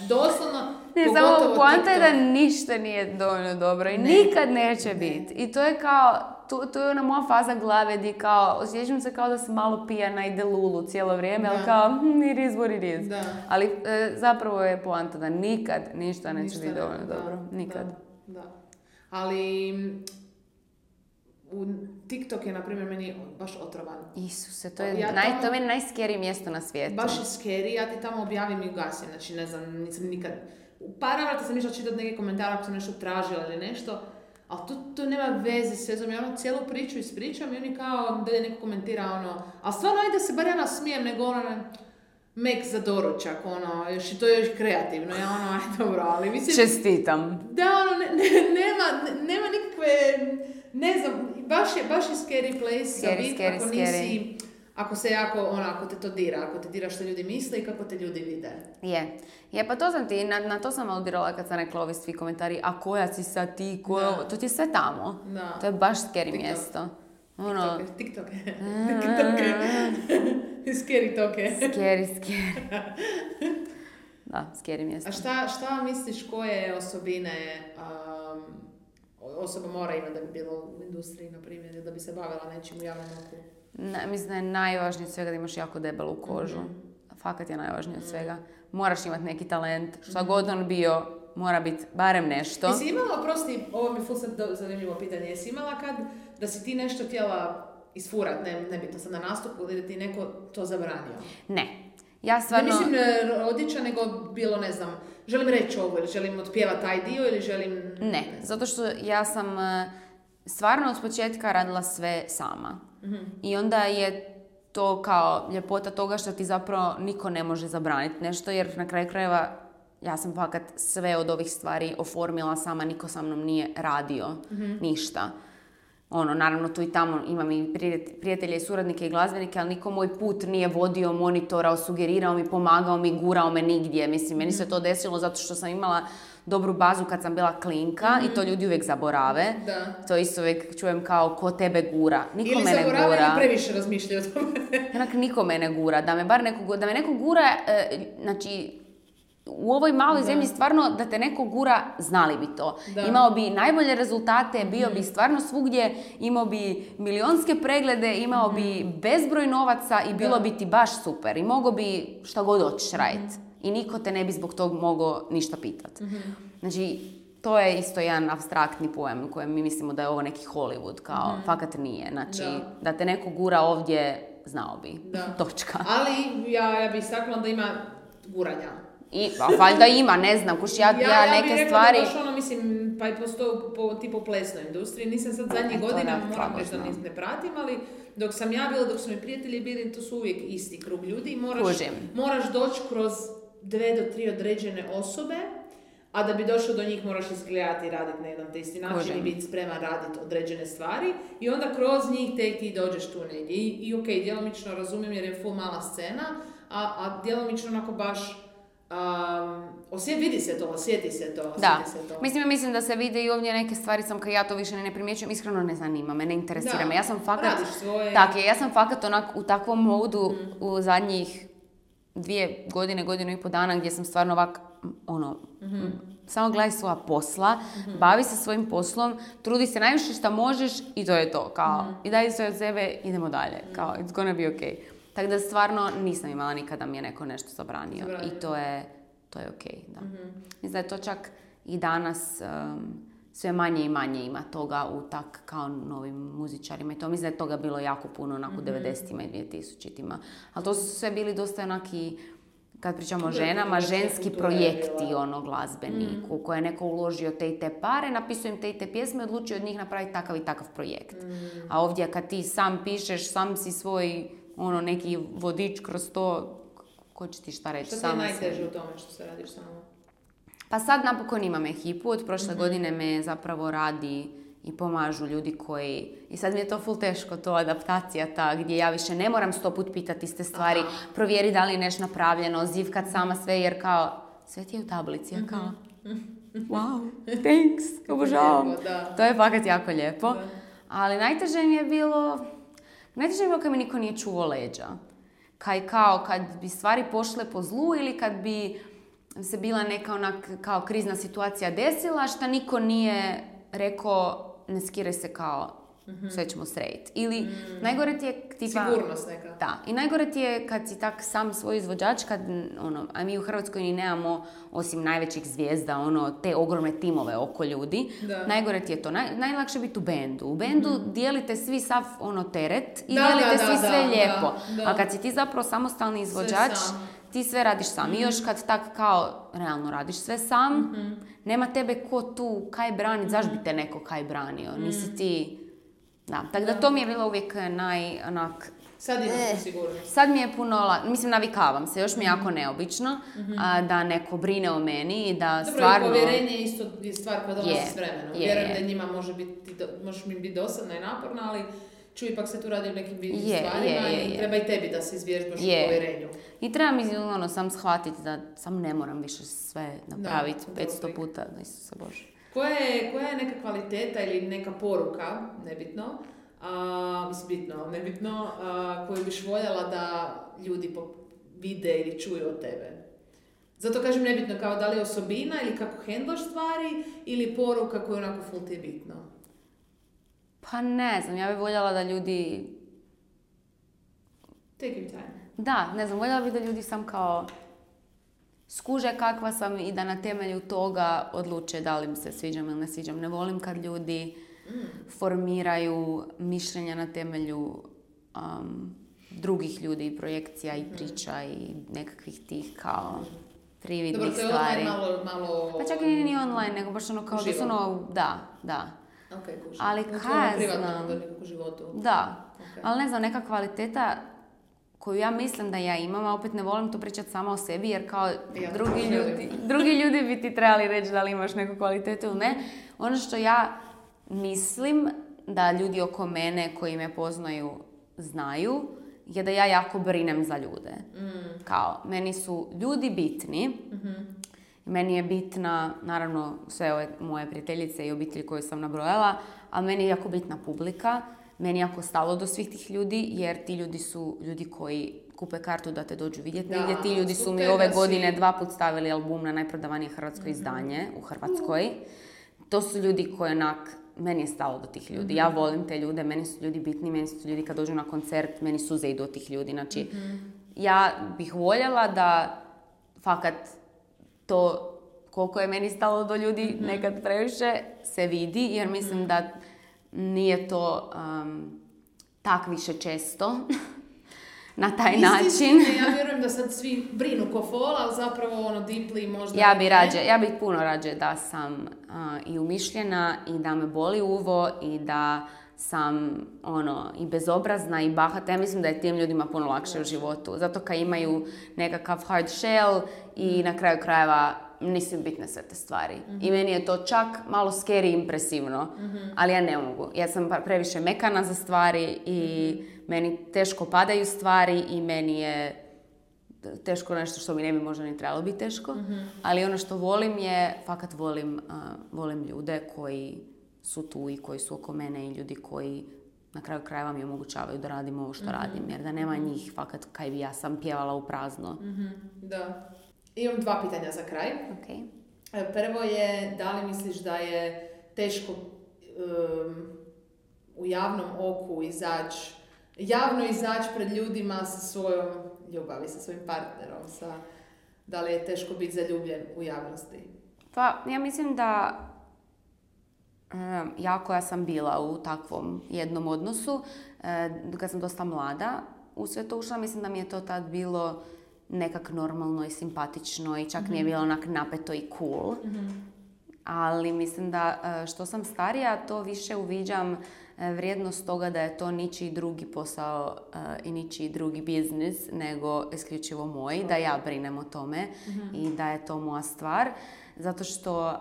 doslovno,
ne,
pogotovo
samo poanta je
TikTok.
da ništa nije dovoljno dobro i
Ne.
nikad neće
Ne.
biti. I to je kao, to, to je ona moja faza glave di kao, osjećam se kao da sam malo pijana i delulu cijelo vrijeme, ali
Da.
kao, hm, it is what it is.
Da.
Ali e, zapravo je poanta da nikad ništa neće
Ništa
biti
ne-
dovoljno
da,
dobro. Nikad.
Da, da. Ali u TikTok je, na primjer, meni baš otrovan.
Isuse, to je,
Ja
naj,
tamo-
to je meni najskerije mjesto na svijetu.
Baš je scary, ja ti tamo objavim i ugasim, znači ne znam, nisam nikad... U par navrata sam išla čitati neke komentare ako sam nešto tražila ili nešto, ali to, to nema veze s vezom, ja ono cijelu priču ispričam i oni kao da je neko komentira ono, ali stvarno ajde se bar ja nasmijem, nego ono, mek za doručak, ono, još i to je još kreativno, ja ono, aj dobro, ali mislim...
Čestitam.
Da, ono, ne, ne, nema, ne, nema nikakve, ne znam, baš je, baš je scary place za
Scary,
bit,
scary,
ako nisi, ako se jako, ono, ako te to dira, ako te dira što ljudi misle i kako te ljudi vide.
Je. Je, pa to sam ti, na, na to sam aludirala kad sam rekla ovi svi komentari, a koja si sad ti, ko je
Da.
ovo? To ti je sve tamo.
Da.
To je baš scary
TikTok.
mjesto. Ono,
TikTok, TikTok, scary toke.
scary, scary. Da, scary mjesto.
A šta, šta misliš koje osobine um, osoba mora imati da bi bilo u industriji, na primjer, ili da bi se bavila nečim u javnom oku?
Na, mislim da je najvažnije od svega da imaš jako debelu kožu.
Mhm.
Fakat je najvažnije od svega. Moraš imati neki talent. Šta god on bio, mora biti barem nešto.
Jesi imala, oprosti, ovo mi je ful sad do- zanimljivo pitanje, jesi imala kad da si ti nešto htjela isfurat, ne, ne bitno sad na nastupu, ili da ti neko to zabranio?
Ne. Ja
Ne
stvarno...
mislim e, rodiča, nego bilo, ne znam, želim reći ovo, ili želim otpjevati taj dio, ili želim...
Ne, zato što ja sam e, stvarno od početka radila sve sama.
Mhm.
I onda je to kao ljepota toga što ti zapravo niko ne može zabraniti nešto, jer na kraju krajeva ja sam fakat sve od ovih stvari oformila sama, niko sa mnom nije radio, ništa. Ono, naravno tu i tamo imam i prijet- prijatelje i suradnike i glazbenike, ali niko moj put nije vodio, monitorao, sugerirao mi, pomagao mi, gurao me nigdje. Mislim, meni se to desilo zato što sam imala dobru bazu kad sam bila klinka i to ljudi uvijek zaborave.
Da.
To isto uvijek čujem kao ko tebe gura. Niko
Ili
me ne
zaboravljaju
gura.
ili previše razmišljaju o tome.
Onak niko me ne gura. Da me bar neko, gu- da me neko gura, e, znači u ovoj maloj
Da.
zemlji stvarno da te neko gura, znali bi to.
Da.
Imao bi najbolje rezultate, bio bi stvarno svugdje, imao bi milionske preglede, imao bi bezbroj novaca i bilo
Da.
bi ti baš super. I mogao bi šta god hoćeš raditi. I niko te ne bi zbog tog mogao ništa pitat. Znači, to je isto jedan apstraktni pojam u kojem mi mislimo da je ovo neki Hollywood, kao fakat nije. Znači,
Da.
da te neko gura ovdje, znao bi.
Da.
Točka.
Ali ja, ja bih istaknula da ima guranja.
I, a valjda ima, ne znam, kuš ja, ja,
ja
neke
bih rekla
stvari...
da baš ono, mislim, pa i postoji po, tipu plesnoj industriji. Nisam sad zadnjih
E, to
godina,
da,
moram
slabo
reći da
znam.
nis- ne pratim, ali dok sam ja bila, dok su mi prijatelji bili, to su uvijek isti krug ljudi. I moraš,
Kužim.
moraš doći kroz dve do tri određene osobe, a da bi došao do njih moraš izgledati i raditi na jedan te isti način
Kužim.
i biti spreman raditi određene stvari. I onda kroz njih tek ti dođeš tu negdje. I, i ok, djelomično razumijem jer je full mala scena, a, a djelomično onako baš um, osje, vidi se to, osjeti se to, osjeti
Da,
se to.
mislim, mislim da se vide i ovdje neke stvari sam kad ja to više ne primjećujem, iskreno ne zanima me, ne interesira
Da,
me. Ja sam fakat,
radiš svoje.
tako je, ja sam fakat onak u takvom modu u zadnjih dvije godine, godinu i pol dana gdje sam stvarno ovak, ono, samo gledaj svoja posla, bavi se svojim poslom, trudi se najviše što možeš i to je to, kao, i daj sve od sebe, idemo dalje, kao, it's gonna be okay. Tako da stvarno nisam imala nikada mi je neko nešto zabranio
Zabranio.
i to je, to je okej, da. Mislim da je to čak i danas um, sve manje i manje ima toga u tak kao novim muzičarima i to mislim da je toga bilo jako puno onak u devedesetima i dvije tisućitima. Ali to su sve bili dosta onaki, kad pričamo o
Kultura,
ženama,
kultura,
ženski
kultura je
projekti
bila.
ono glazbeni u koje je neko uložio te i te pare, napisao im te i te pjesme, odlučio od njih napraviti takav i takav projekt. A ovdje kad ti sam pišeš, sam si svoj ono neki vodič kroz to, ko će ti šta reći,
Što ti je
sama
najteže
si.
u tome što se radiš samo?
Pa sad napokon imam ekipu, od prošle godine me zapravo radi i pomažu ljudi koji, i sad mi je to ful teško, to adaptacija ta, gdje ja više ne moram sto put pitati iste stvari,
Aha.
provjeri da li je nešto napravljeno, zivkat sama sve, jer kao, sve ti je u tablici, ja kao, wow, thanks, obožavam.
Lijepo, da.
To je fakat jako lijepo.
Da.
Ali najteže mi je bilo, najteže mi je bilo kad mi niko nije čuvao leđa. Kaj kao, kad bi stvari pošle po zlu ili kad bi se bila neka onak kao krizna situacija desila, šta niko nije rekao ne skiraj se kao mm-hmm. sve ćemo srediti. Ili mm. najgore ti je tipa...
Sigurnost neka.
Da. I najgore ti je kad si tak sam svoj izvođač, kad, ono, a mi u Hrvatskoj ni nemamo, osim najvećih zvijezda, ono, te ogromne timove oko ljudi. Da. Najgore ti je to. Naj, najlakše biti u bendu. U bendu mm-hmm. dijelite svi sav ono, teret i
da,
dijelite
da,
svi
da,
sve
da,
lijepo.
Da, da.
A kad si ti zapravo samostalni izvođač, ti sve radiš sam. Mm-hmm. I još kad tak kao realno radiš sve sam, mm-hmm. nema tebe ko tu kaj branit, mm-hmm. zašto bi te neko kaj branio? Mm-hmm. Nisi ti... Da, tako da, da to mi je bilo uvijek naj, onak...
Sad imaš eh, sigurnost.
Sad mi je puno, mislim, navikavam se, još mi je jako neobično mm-hmm. a, da neko brine o meni i da
dobro,
stvarno...
Dobro, i povjerenje je isto je stvar koja dolazi
je,
s vremenom.
Je,
Vjerujem
je.
da njima može biti, možeš mi biti dosadna i naporna, ali ču, ipak se tu radi o nekim bitnim
je,
stvarima
je, je,
i
je.
treba i tebi da se izvježbaš u povjerenju.
I treba mi ono, sam shvatiti da sam ne moram više sve napraviti petsto puta, da Isuse Bože.
Koja je, koja je neka kvaliteta ili neka poruka, nebitno, a, mislim bitno, nebitno, a, koju biš voljela da ljudi vide ili čuju od tebe? Zato kažem nebitno, kao da li osobina ili kako hendlaš stvari ili poruka koju onako ful ti je bitno?
Pa ne znam, ja bih voljela da ljudi...
Take your time.
Da, ne znam, voljela bih da ljudi sam kao skuže kakva sam i da na temelju toga odluče da li mi se sviđam ili ne sviđam. Ne volim kad ljudi mm. formiraju mišljenja na temelju um, drugih ljudi, projekcija i priča mm. i nekakvih tih kao prividnih stvari.
Dobro, to je online malo, malo...
Pa čak i nije ni online, nego baš ono kao da su ono, da, da.
Okay, kužim.
Ali kaj znam... Da,
okay.
Ali ne znam, neka kvaliteta koju ja mislim da ja imam, a opet ne volim to pričati sama o sebi, jer kao ja, drugi, ljudi, drugi ljudi bi ti trebali reći da li imaš neku kvalitetu ili ne. Ono što ja mislim da ljudi oko mene koji me poznaju znaju, je da ja jako brinem za ljude. Mm. Kao, meni su ljudi bitni, mm-hmm. meni je bitna, naravno, sve ove moje prijateljice i obitelji koje sam nabrojala, ali meni je jako bitna publika. Meni je jako stalo do svih tih ljudi, jer ti ljudi su ljudi koji kupe kartu da te dođu vidjeti. Negdje ti ljudi su mi ove godine dva put stavili album na najprodavanije hrvatsko mm-hmm. izdanje u Hrvatskoj. To su ljudi koji onak, meni je stalo do tih ljudi. Mm-hmm. Ja volim te ljude, meni su ljudi bitni, meni su ljudi kad dođu na koncert, meni suze idu od tih ljudi. Znači, mm-hmm. ja bih voljela da fakat to koliko je meni stalo do ljudi mm-hmm. nekad previše se vidi, jer mislim mm-hmm. da nije to um, tak više često na taj Isti način.
Isti, ja vjerujem da sad svi brinu ko fol, ali zapravo ono deeply možda...
Ja bi rađe, ja bih puno rađe da sam uh, i umišljena i da me boli uvo i da sam ono i bezobrazna i bahata. Ja mislim da je tim ljudima puno lakše u životu. Zato kad imaju nekakav hard shell i na kraju krajeva nisu bitne sve te stvari. Mm-hmm. I meni je to čak malo scary impresivno, mm-hmm. ali ja ne mogu. Ja sam previše mekana za stvari i mm-hmm. meni teško padaju stvari i meni je teško nešto što mi ne bi možda ni trebalo biti teško. Mm-hmm. Ali ono što volim je, fakat volim, uh, volim ljude koji su tu i koji su oko mene i ljudi koji na kraju krajeva mi omogućavaju da radim ovo što mm-hmm. radim. Jer da nema njih, fakat kaj bi ja sam pjevala u prazno.
Mm-hmm. Da. Imam dva pitanja za kraj.
Okay.
Prvo je, da li misliš da je teško um, u javnom oku izaći, javno izaći pred ljudima sa svojom ljubavi, sa svojim partnerom? Sa, da li je teško biti zaljubljen u javnosti?
Pa, ja mislim da um, ja koja sam bila u takvom jednom odnosu, uh, kad sam dosta mlada u sve to ušla, mislim da mi je to tad bilo nekak normalno i simpatično i čak mm-hmm. nije bilo onak napeto i cool. Mm-hmm. Ali mislim da što sam starija, to više uviđam vrijednost toga da je to ničiji drugi posao uh, i ničiji drugi biznis, nego isključivo moj, da ja brinem o tome mm-hmm. i da je to moja stvar. Zato što uh,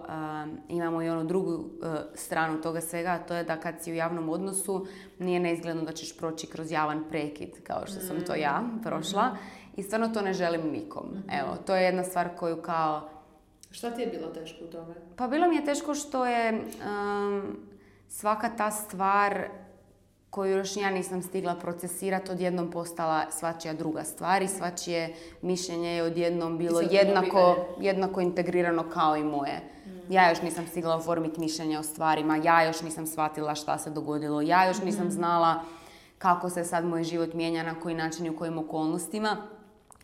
imamo i onu drugu uh, stranu toga svega, a to je da kad si u javnom odnosu nije neizgledno da ćeš proći kroz javan prekid, kao što mm-hmm. sam to ja prošla. Mm-hmm. I stvarno to ne želim nikom. Mm-hmm. Evo, to je jedna stvar koju kao...
Šta ti je bilo teško u tome?
Pa bilo mi je teško što je um, svaka ta stvar koju još ja nisam stigla procesirati, odjednom postala svačija druga stvar i svačije mišljenje je odjednom bilo jednako, jednako integrirano kao i moje. Mm. Ja još nisam stigla oformiti mišljenje o stvarima, ja još nisam shvatila šta se dogodilo, ja još nisam znala kako se sad moj život mijenja, na koji način i u kojim okolnostima.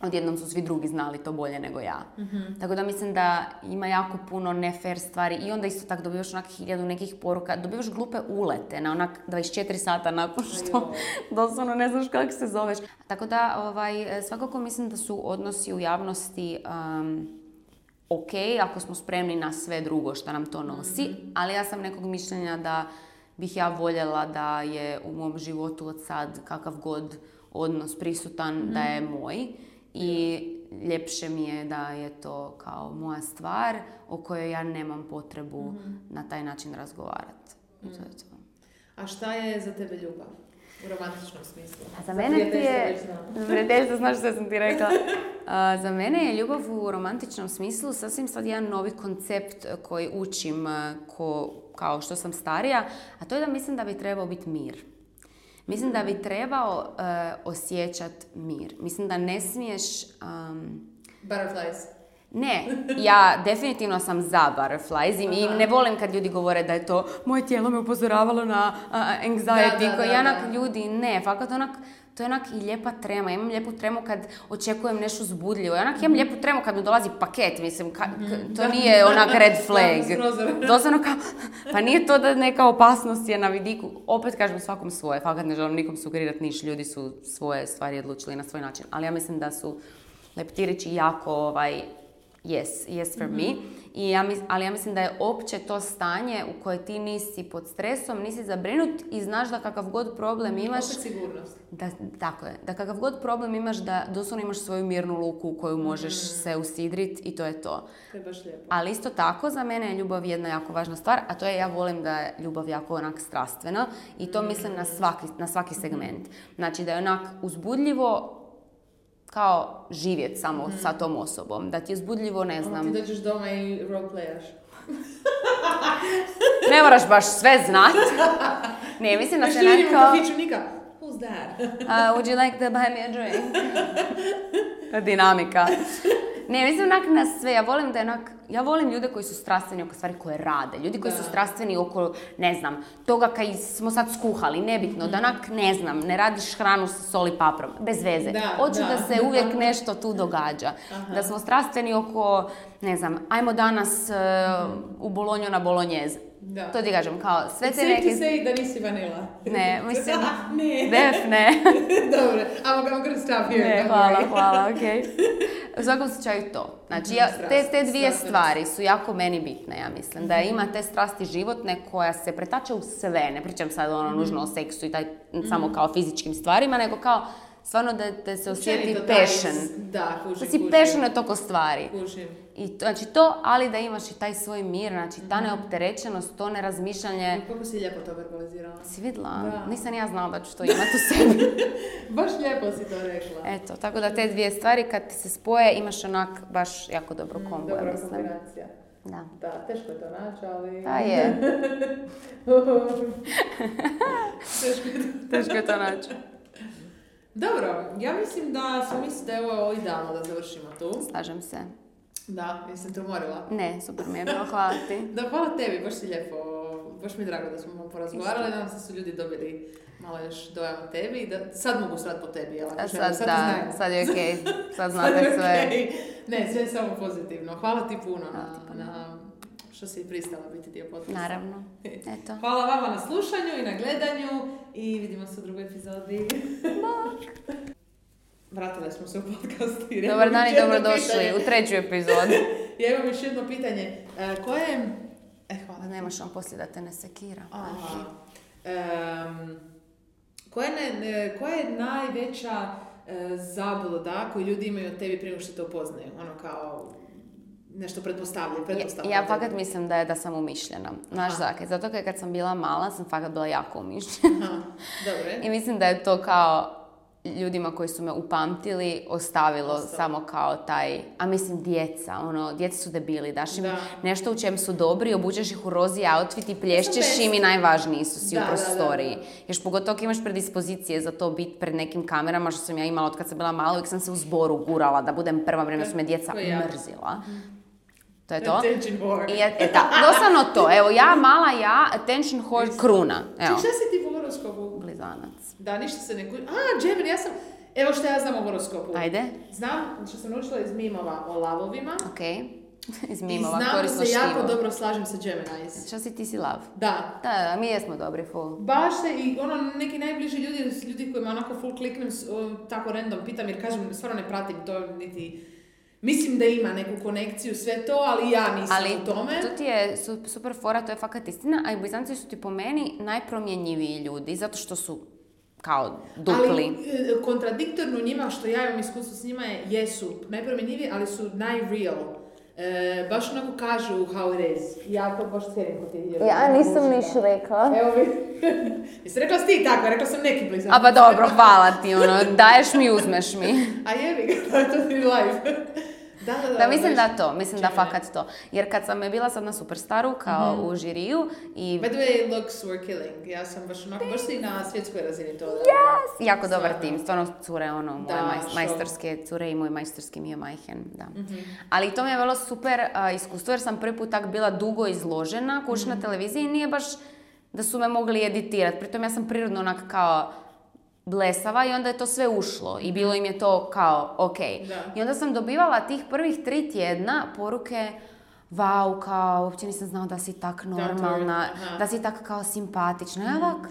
Odjednom su svi drugi znali to bolje nego ja. Mm-hmm. Tako da mislim da ima jako puno ne fair stvari i onda isto tako dobivaš onak hiljadu nekih poruka, dobivaš glupe ulete na onak dvadeset četiri sata nakon što doslovno ne znaš kako se zoveš. Tako da ovaj, svakako mislim da su odnosi u javnosti um, ok ako smo spremni na sve drugo što nam to nosi, mm-hmm. ali ja sam nekog mišljenja da bih ja voljela da je u mom životu od sad kakav god odnos prisutan, mm-hmm. da je moj. I ljepše mi je da je to kao moja stvar o kojoj ja nemam potrebu mm-hmm. na taj način razgovarati. Mm. To je to.
A šta je za tebe ljubav? U romantičnom smislu.
A za mene ti je... Prijateljstvo, znaš što sam ti rekla. A, za mene je ljubav u romantičnom smislu sasvim sad jedan novi koncept koji učim ko, kao što sam starija, a to je da mislim da bi trebao biti mir. Mislim da bi trebao uh, osjećati mir. Mislim da ne smiješ... Um...
Butterflies.
Ne, ja definitivno sam za butterflies i, i ne volim kad ljudi govore da je to moje tijelo me upozoravalo na uh, anxiety. Da, da, da, ja onak, ljudi, ne, fakat onak, to je onak i lijepa trema. Ja imam lijepu tremu kad očekujem nešto uzbudljivo. Ja onak imam lijepu tremu kad mi dolazi paket, mislim, ka, k, to nije onak red flag. Doslovno kao, pa nije to da neka opasnost je na vidiku. Opet kažem svakom svoje, fakat ne želim nikom sugerirati niš, ljudi su svoje stvari odlučili na svoj način. Ali ja mislim da su leptirići jako ovaj, yes, yes for mm-hmm. me. I ja mis, ali ja mislim da je opće to stanje u koje ti nisi pod stresom, nisi zabrinut i znaš da kakav god problem imaš...
Opet sigurnost.
Da, tako je. Da kakav god problem imaš, da doslovno imaš svoju mirnu luku u koju možeš mm. se usidriti i to je to.
To je baš lijepo.
Ali isto tako, za mene je ljubav jedna jako važna stvar, a to je ja volim da je ljubav jako onak strastvena i to mm. mislim na svaki, na svaki segment. Znači da je onak uzbudljivo, kao živjeti samo mm. sa tom osobom. Da ti je uzbudljivo, ne znam...
Ti dođeš doma i roleplayaš.
Ne moraš baš sve znat. Ne, mislim da se
nekako... Što
kao...
vidimo kafiću, Nika? Who's that?
uh, would you like to buy me a drink? Dinamika. Ne, mislim onak na sve. Ja volim da je onak... Ja volim ljude koji su strastveni oko stvari koje rade. Ljudi koji da. su strastveni oko, ne znam, toga kaj smo sad skuhali, nebitno, mm. da onak, ne znam, ne radiš hranu sa soli paprom, bez veze. Da, Hoću da. da se uvijek nešto tu događa. Aha. Da smo strastveni oko, ne znam, ajmo danas uh, u Bolonju na bolonjeze. Da. To ti kažem, kao sve te neke...
Sve ti say da nisi vanila.
Ne, mislim...
ne.
Def, ne.
Dobre, I'm, I'm gonna stop here.
Ne, hvala, hvala, okej. Okay. U svakom slučaju to. Znači, ja, te, te dvije stvari su jako meni bitne, ja mislim. Da ima te strasti životne koja se pretače u sve. Ne pričam sad ono nužno o seksu i taj, samo kao fizičkim stvarima, nego kao stvarno da, da se osjeti passion.
Da, kužim,
da si
kužim.
passionate oko stvari.
Kužim.
I to, znači to, ali da imaš i taj svoj mir, znači ta neopterećenost, to nerazmišljanje.
I kako si lijepo to verbalizirala.
Si vidjela? Da. Nisam ja znala da ću to imati u sebi.
Baš lijepo si to rekla.
Eto, tako da te dvije stvari kad ti se spoje imaš onak baš jako dobro kombo.
Mm, dobra kombinacija.
Da.
Da, teško je to naći, ali...
Da je.
teško, je to...
teško je to naći.
Dobro, ja mislim da smo mislili da je ovo idealno da završimo tu.
Slažem se.
Da, jesam te umorila?
Ne, super mi je bilo, hvala ti.
Da, hvala tebi, baš si lijepo, baš mi je drago da smo malo porazgovarali, nadam se da su ljudi dobili malo još dojam o tebi i da sad mogu srati po tebi, jel?
Sad, sad, sad da, sad je okej, okay. Sad znate sad sve. Okay.
Ne, sve je samo pozitivno. Hvala ti puno hvala na, ti puno. na što si pristala biti dio podcasta.
Naravno, eto.
Hvala vama na slušanju i na gledanju i vidimo se u drugoj epizodi.
Bok!
Vratili smo se u podcast.
Dobar dan i dobrodošli u treću epizodu.
Ja imam još jedno pitanje. Uh, koje... E, hvala.
Nemaš on poslije da te ne sekira.
Aha. Um, koja, ne, koja je najveća uh, zabluda koju ljudi imaju od tebi prije što te upoznaju? Ono kao... nešto pretpostavljaju, pretpostavljaju.
Ja, ja fakat mislim da je da sam umišljena. Znaš zakaj? Zato kad sam bila mala, sam fakat bila jako umišljena.
Aha, dobro.
I mislim da je to kao ljudima koji su me upamtili ostavilo
Ostalo.
samo kao taj, a mislim djeca, ono, djeca su debili, daš im
Da.
nešto u čem su dobri, obučeš ih u rozi outfit i plješćeš
best.
im i najvažniji su si
Da,
u
da,
prostoriji.
da, da.
Još pogotovo ako imaš predispozicije za to biti pred nekim kamerama, što sam ja imala od kad sam bila mala, uvijek sam se u zboru gurala da budem prva, vrijeme su me djeca
To je ja.
mrzila. To je to.
Attention whore.
I je, e, da, doslovno to. Evo, ja, mala ja, attention whore, kruna. Evo,
Ček, šta si ti u horoskopu?
blizanac.
Da, ništa se ne kuži. A, Gemini, ja sam... Evo što ja znam o horoskopu.
Ajde.
Znam što sam naučila iz mimova o lavovima.
Ok. Iz
I
mimova,
znam da
korisno
se jako
štivo.
dobro slažem sa Geminis.
Šta si ti si lav?
Da.
Da, da, mi jesmo dobri, full.
Baš se i ono neki najbliži ljudi, ljudi kojima onako full kliknem, s- o, tako random pitam jer kažem, stvarno ne pratim to niti... Mislim da ima neku konekciju, sve to, ali ja nisam
Ali
u tome.
to ti je su- super fora, to je fakat istina, a i Blizanci su ti po meni najpromjenjiviji ljudi, zato što su kao dupli.
Ali e, kontradiktorno njima, što ja imam iskustvo s njima, je, jesu najpromjenjiviji, ali su najreal. E, baš onako kažu how it is. Ja to baš cijenim kod tih ljudi.
Ja nisam niš rekla.
Evo vi. Jesi rekla si ti tako, rekla sam neki blizanci.
A pa dobro, hvala ti, ono, daješ mi, uzmeš mi.
A jebi ga, to je to ti live. Da, da, da.
Da, mislim
baš-
da to, mislim da
Gemini.
fakat to. Jer kad sam je bila sad na Superstaru, kao u žiriju i...
By the way, looks were killing. Ja sam baš onako, baš si na svjetskoj razini to. Da.
Yes! Jako dobar
Stvarno.
tim, stvarno cure, ono, moje
Da,
maj,
šok.
majstorske cure i moj majstorski Mio Majhen, da. Ali to mi je bilo super a, iskustvo jer sam prvi put tak bila dugo izložena, kući na televiziji i nije baš da su me mogli editirati. Pritom ja sam prirodno onak kao blesava i onda je to sve ušlo i bilo im je to kao ok.
Da.
I onda sam dobivala tih prvih tri tjedna poruke wow, kao, uopće nisam znao da si tak normalna,
aha.
da si tak kao simpatična. Ja ovak,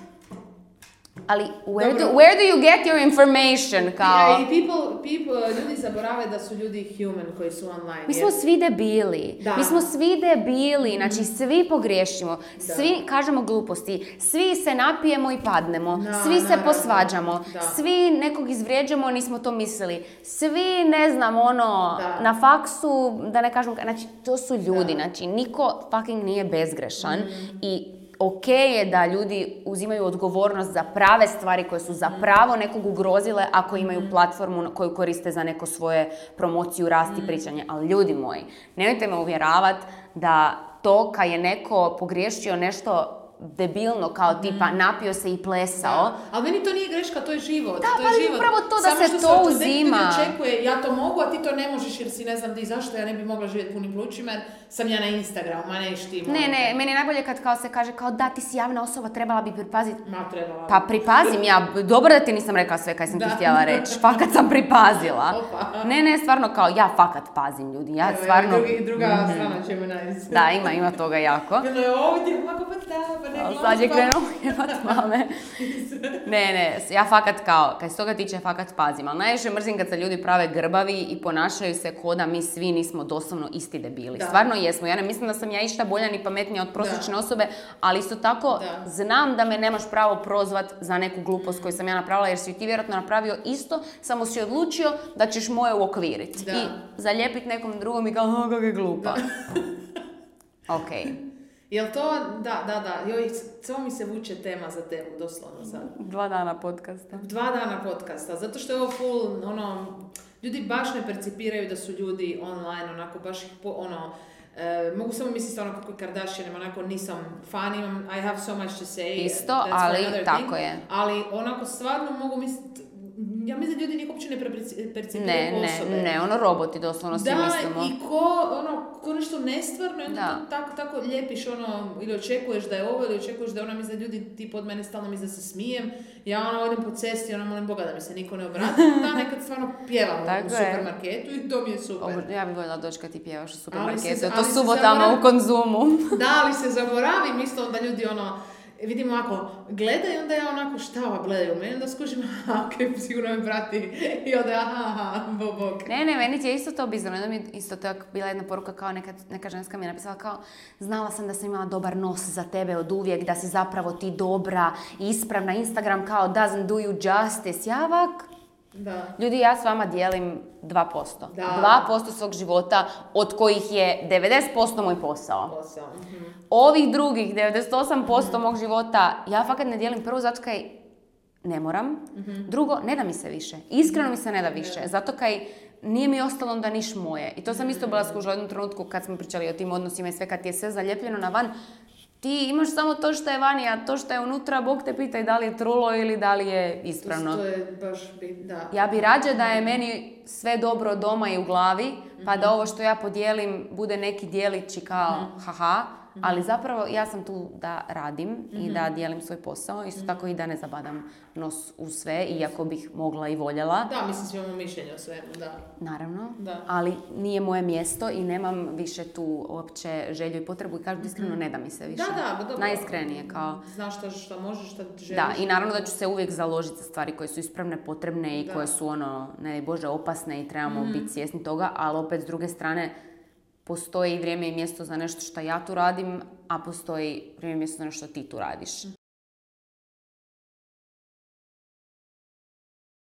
ali where do,
Dobro.
where do you get your information, kao?
Ja, i people, people, ljudi zaborave da su ljudi human koji su online.
Mi
jer-
smo svi debili,
Da.
mi smo svi debili, znači svi pogriješimo, svi kažemo gluposti, svi se napijemo i padnemo,
Da,
svi se
naravno.
posvađamo,
Da.
svi nekog izvrijeđamo, nismo to mislili, svi, ne znam, ono,
Da.
na faksu, da ne kažem, znači to su ljudi,
Da.
znači niko fucking nije bezgrešan i ok je da ljudi uzimaju odgovornost za prave stvari koje su zapravo nekog ugrozile ako imaju platformu na koju koriste za neko svoje promociju, rast i pričanje. Ali ljudi moji, nemojte me uvjeravati da to kad je neko pogriješio nešto debilno kao tipa napio se i plesao,
Da. Ali meni to nije greška, to je život.
Da,
to
pa
je
ali
život.
upravo to da
Samo
se
što
to
od nekih ljudi
uzima.
očekuje, ja to mogu, a ti to ne možeš jer si ne znam di zašto ja ne bi mogla živjeti punim plućima jer sam ja na Instagramu, ma neš ti.
ne, ne, meni je najbolje kad kao se kaže kao da ti si javna osoba, trebala bi pripaziti.
Ma trebala.
Pa pripazim ja, dobro da ti nisam rekla sve kaj sam
Da.
ti htjela reći, fakat sam pripazila.
Opa.
Ne, ne, stvarno kao ja fakat pazim ljudi, ja
Evo,
stvarno...
evo, drugi, druga strana će me najiz.
Da, ima, ima toga jako.
Bilo je ovdje, ovako pa da, pa ne
Ali
glasa.
sad je krenuo jebat mame. Ne, ne, ja fakat kao, kad se toga tiče, fakat pazim. Ali najviše mrzim kad se ljudi prave grbavi i ponašaju se ko da mi svi nismo doslovno isti debili.
Da.
Stvarno jesmo. Ja ne mislim da sam ja išta bolja ni pametnija od prosječne
Da.
osobe, ali isto tako
Da.
znam da me nemaš pravo prozvat za neku glupost koju sam ja napravila, jer si ti vjerojatno napravio isto, samo si odlučio da ćeš moje uokviriti.
Da.
I zalijepiti nekom drugom i kao, "A, kako je glupa." Ok.
Jel to, da, da, da, joj, samo mi se vuče tema za temu, doslovno sad.
Dva dana podcasta.
Dva dana podcasta, zato što je ovo full, ono, ljudi baš ne percipiraju da su ljudi online, onako, baš ih po, ono, e, mogu samo misliti ono kako je Kardashian, onako nisam fan, imam, I have so much to say.
Isto,
that's
ali
another
tako
thing.
je.
Ali onako stvarno mogu misliti, ja mislim da ljudi nikog uopće ne perci- percipiraju
Ne,
kao
ne,
osobe.
ne, ono roboti doslovno svi
Da,
mislimo.
i ko, ono, ko nešto nestvarno, i onda
Da.
to tako, tako lijepiš, ono, ili očekuješ da je ovo, ili očekuješ da je ona, misle, ljudi ti pod mene stalno misle da se smijem, ja ono, odem po cesti, ono, molim Boga da mi se niko ne obrati, da nekad stvarno pjevam
Tako
u
je.
supermarketu i to mi je super.
Ovo, ja bih voljela doći kad ti pjevaš u
Ali se-
supermarketu, je to
ali se
subotama
zaboravi-
u Konzumu.
Da, ali se zaboravim isto da ljudi, ono, vidim ovako, gledaju, onda ja onako, šta ova gledaju meni, onda skužim, aha, ok, sigurno me prati, i onda, aha, aha, bo, bok.
Ne, ne, meni ti je isto to bizarno. Onda mi je isto tako bila jedna poruka kao neka, neka ženska mi je napisala kao znala sam da sam imala dobar nos za tebe od uvijek, da si zapravo ti dobra i ispravna. Instagram kao doesn't do you justice. Ja ovak,
Da.
ljudi, ja s vama dijelim dva posto.
Da.
dva posto svog života, od kojih je devedeset posto moj posao.
Posao. Mhm.
Ovih drugih, devedeset osam posto mog života, ja fakat ne dijelim prvo zato kaj ne moram. Mm-hmm. Drugo, ne da mi se više. Iskreno mi se ne da više. Yeah. Zato kaj nije mi ostalo onda niš moje. I to sam isto bila skužila u jednom trenutku kad smo pričali o tim odnosima i sve, kad ti je sve zalijepljeno na van. Ti imaš samo to što je vani, a to što je unutra, Bog te pita i da li je trulo ili da li je ispravno.
To je baš bit, da.
Ja bi rađe da je meni sve dobro doma i u glavi, pa da ovo što ja podijelim bude neki dijelići kao haha, ali zapravo ja sam tu da radim mm-hmm. i da dijelim svoj posao, isto mm-hmm. tako i da ne zabadam nos u sve, iako bih mogla i voljela.
Da, mislim svi imamo mišljenje o svemu, da.
Naravno,
da.
Ali nije moje mjesto i nemam više tu uopće želju i potrebu i kažem iskreno, ne da mi se više.
Da, da, dobro.
Najiskrenije, kao...
Znaš šta, šta možeš, šta želiš.
Da, i naravno da ću se uvijek založiti za stvari koje su ispravne, potrebne i da. Koje su ono, ne daj Bože, opasne i trebamo mm. biti svjesni toga, ali opet s druge strane postoji vrijeme i mjesto za nešto što ja tu radim, a postoji vrijeme i mjesto za nešto što ti tu radiš.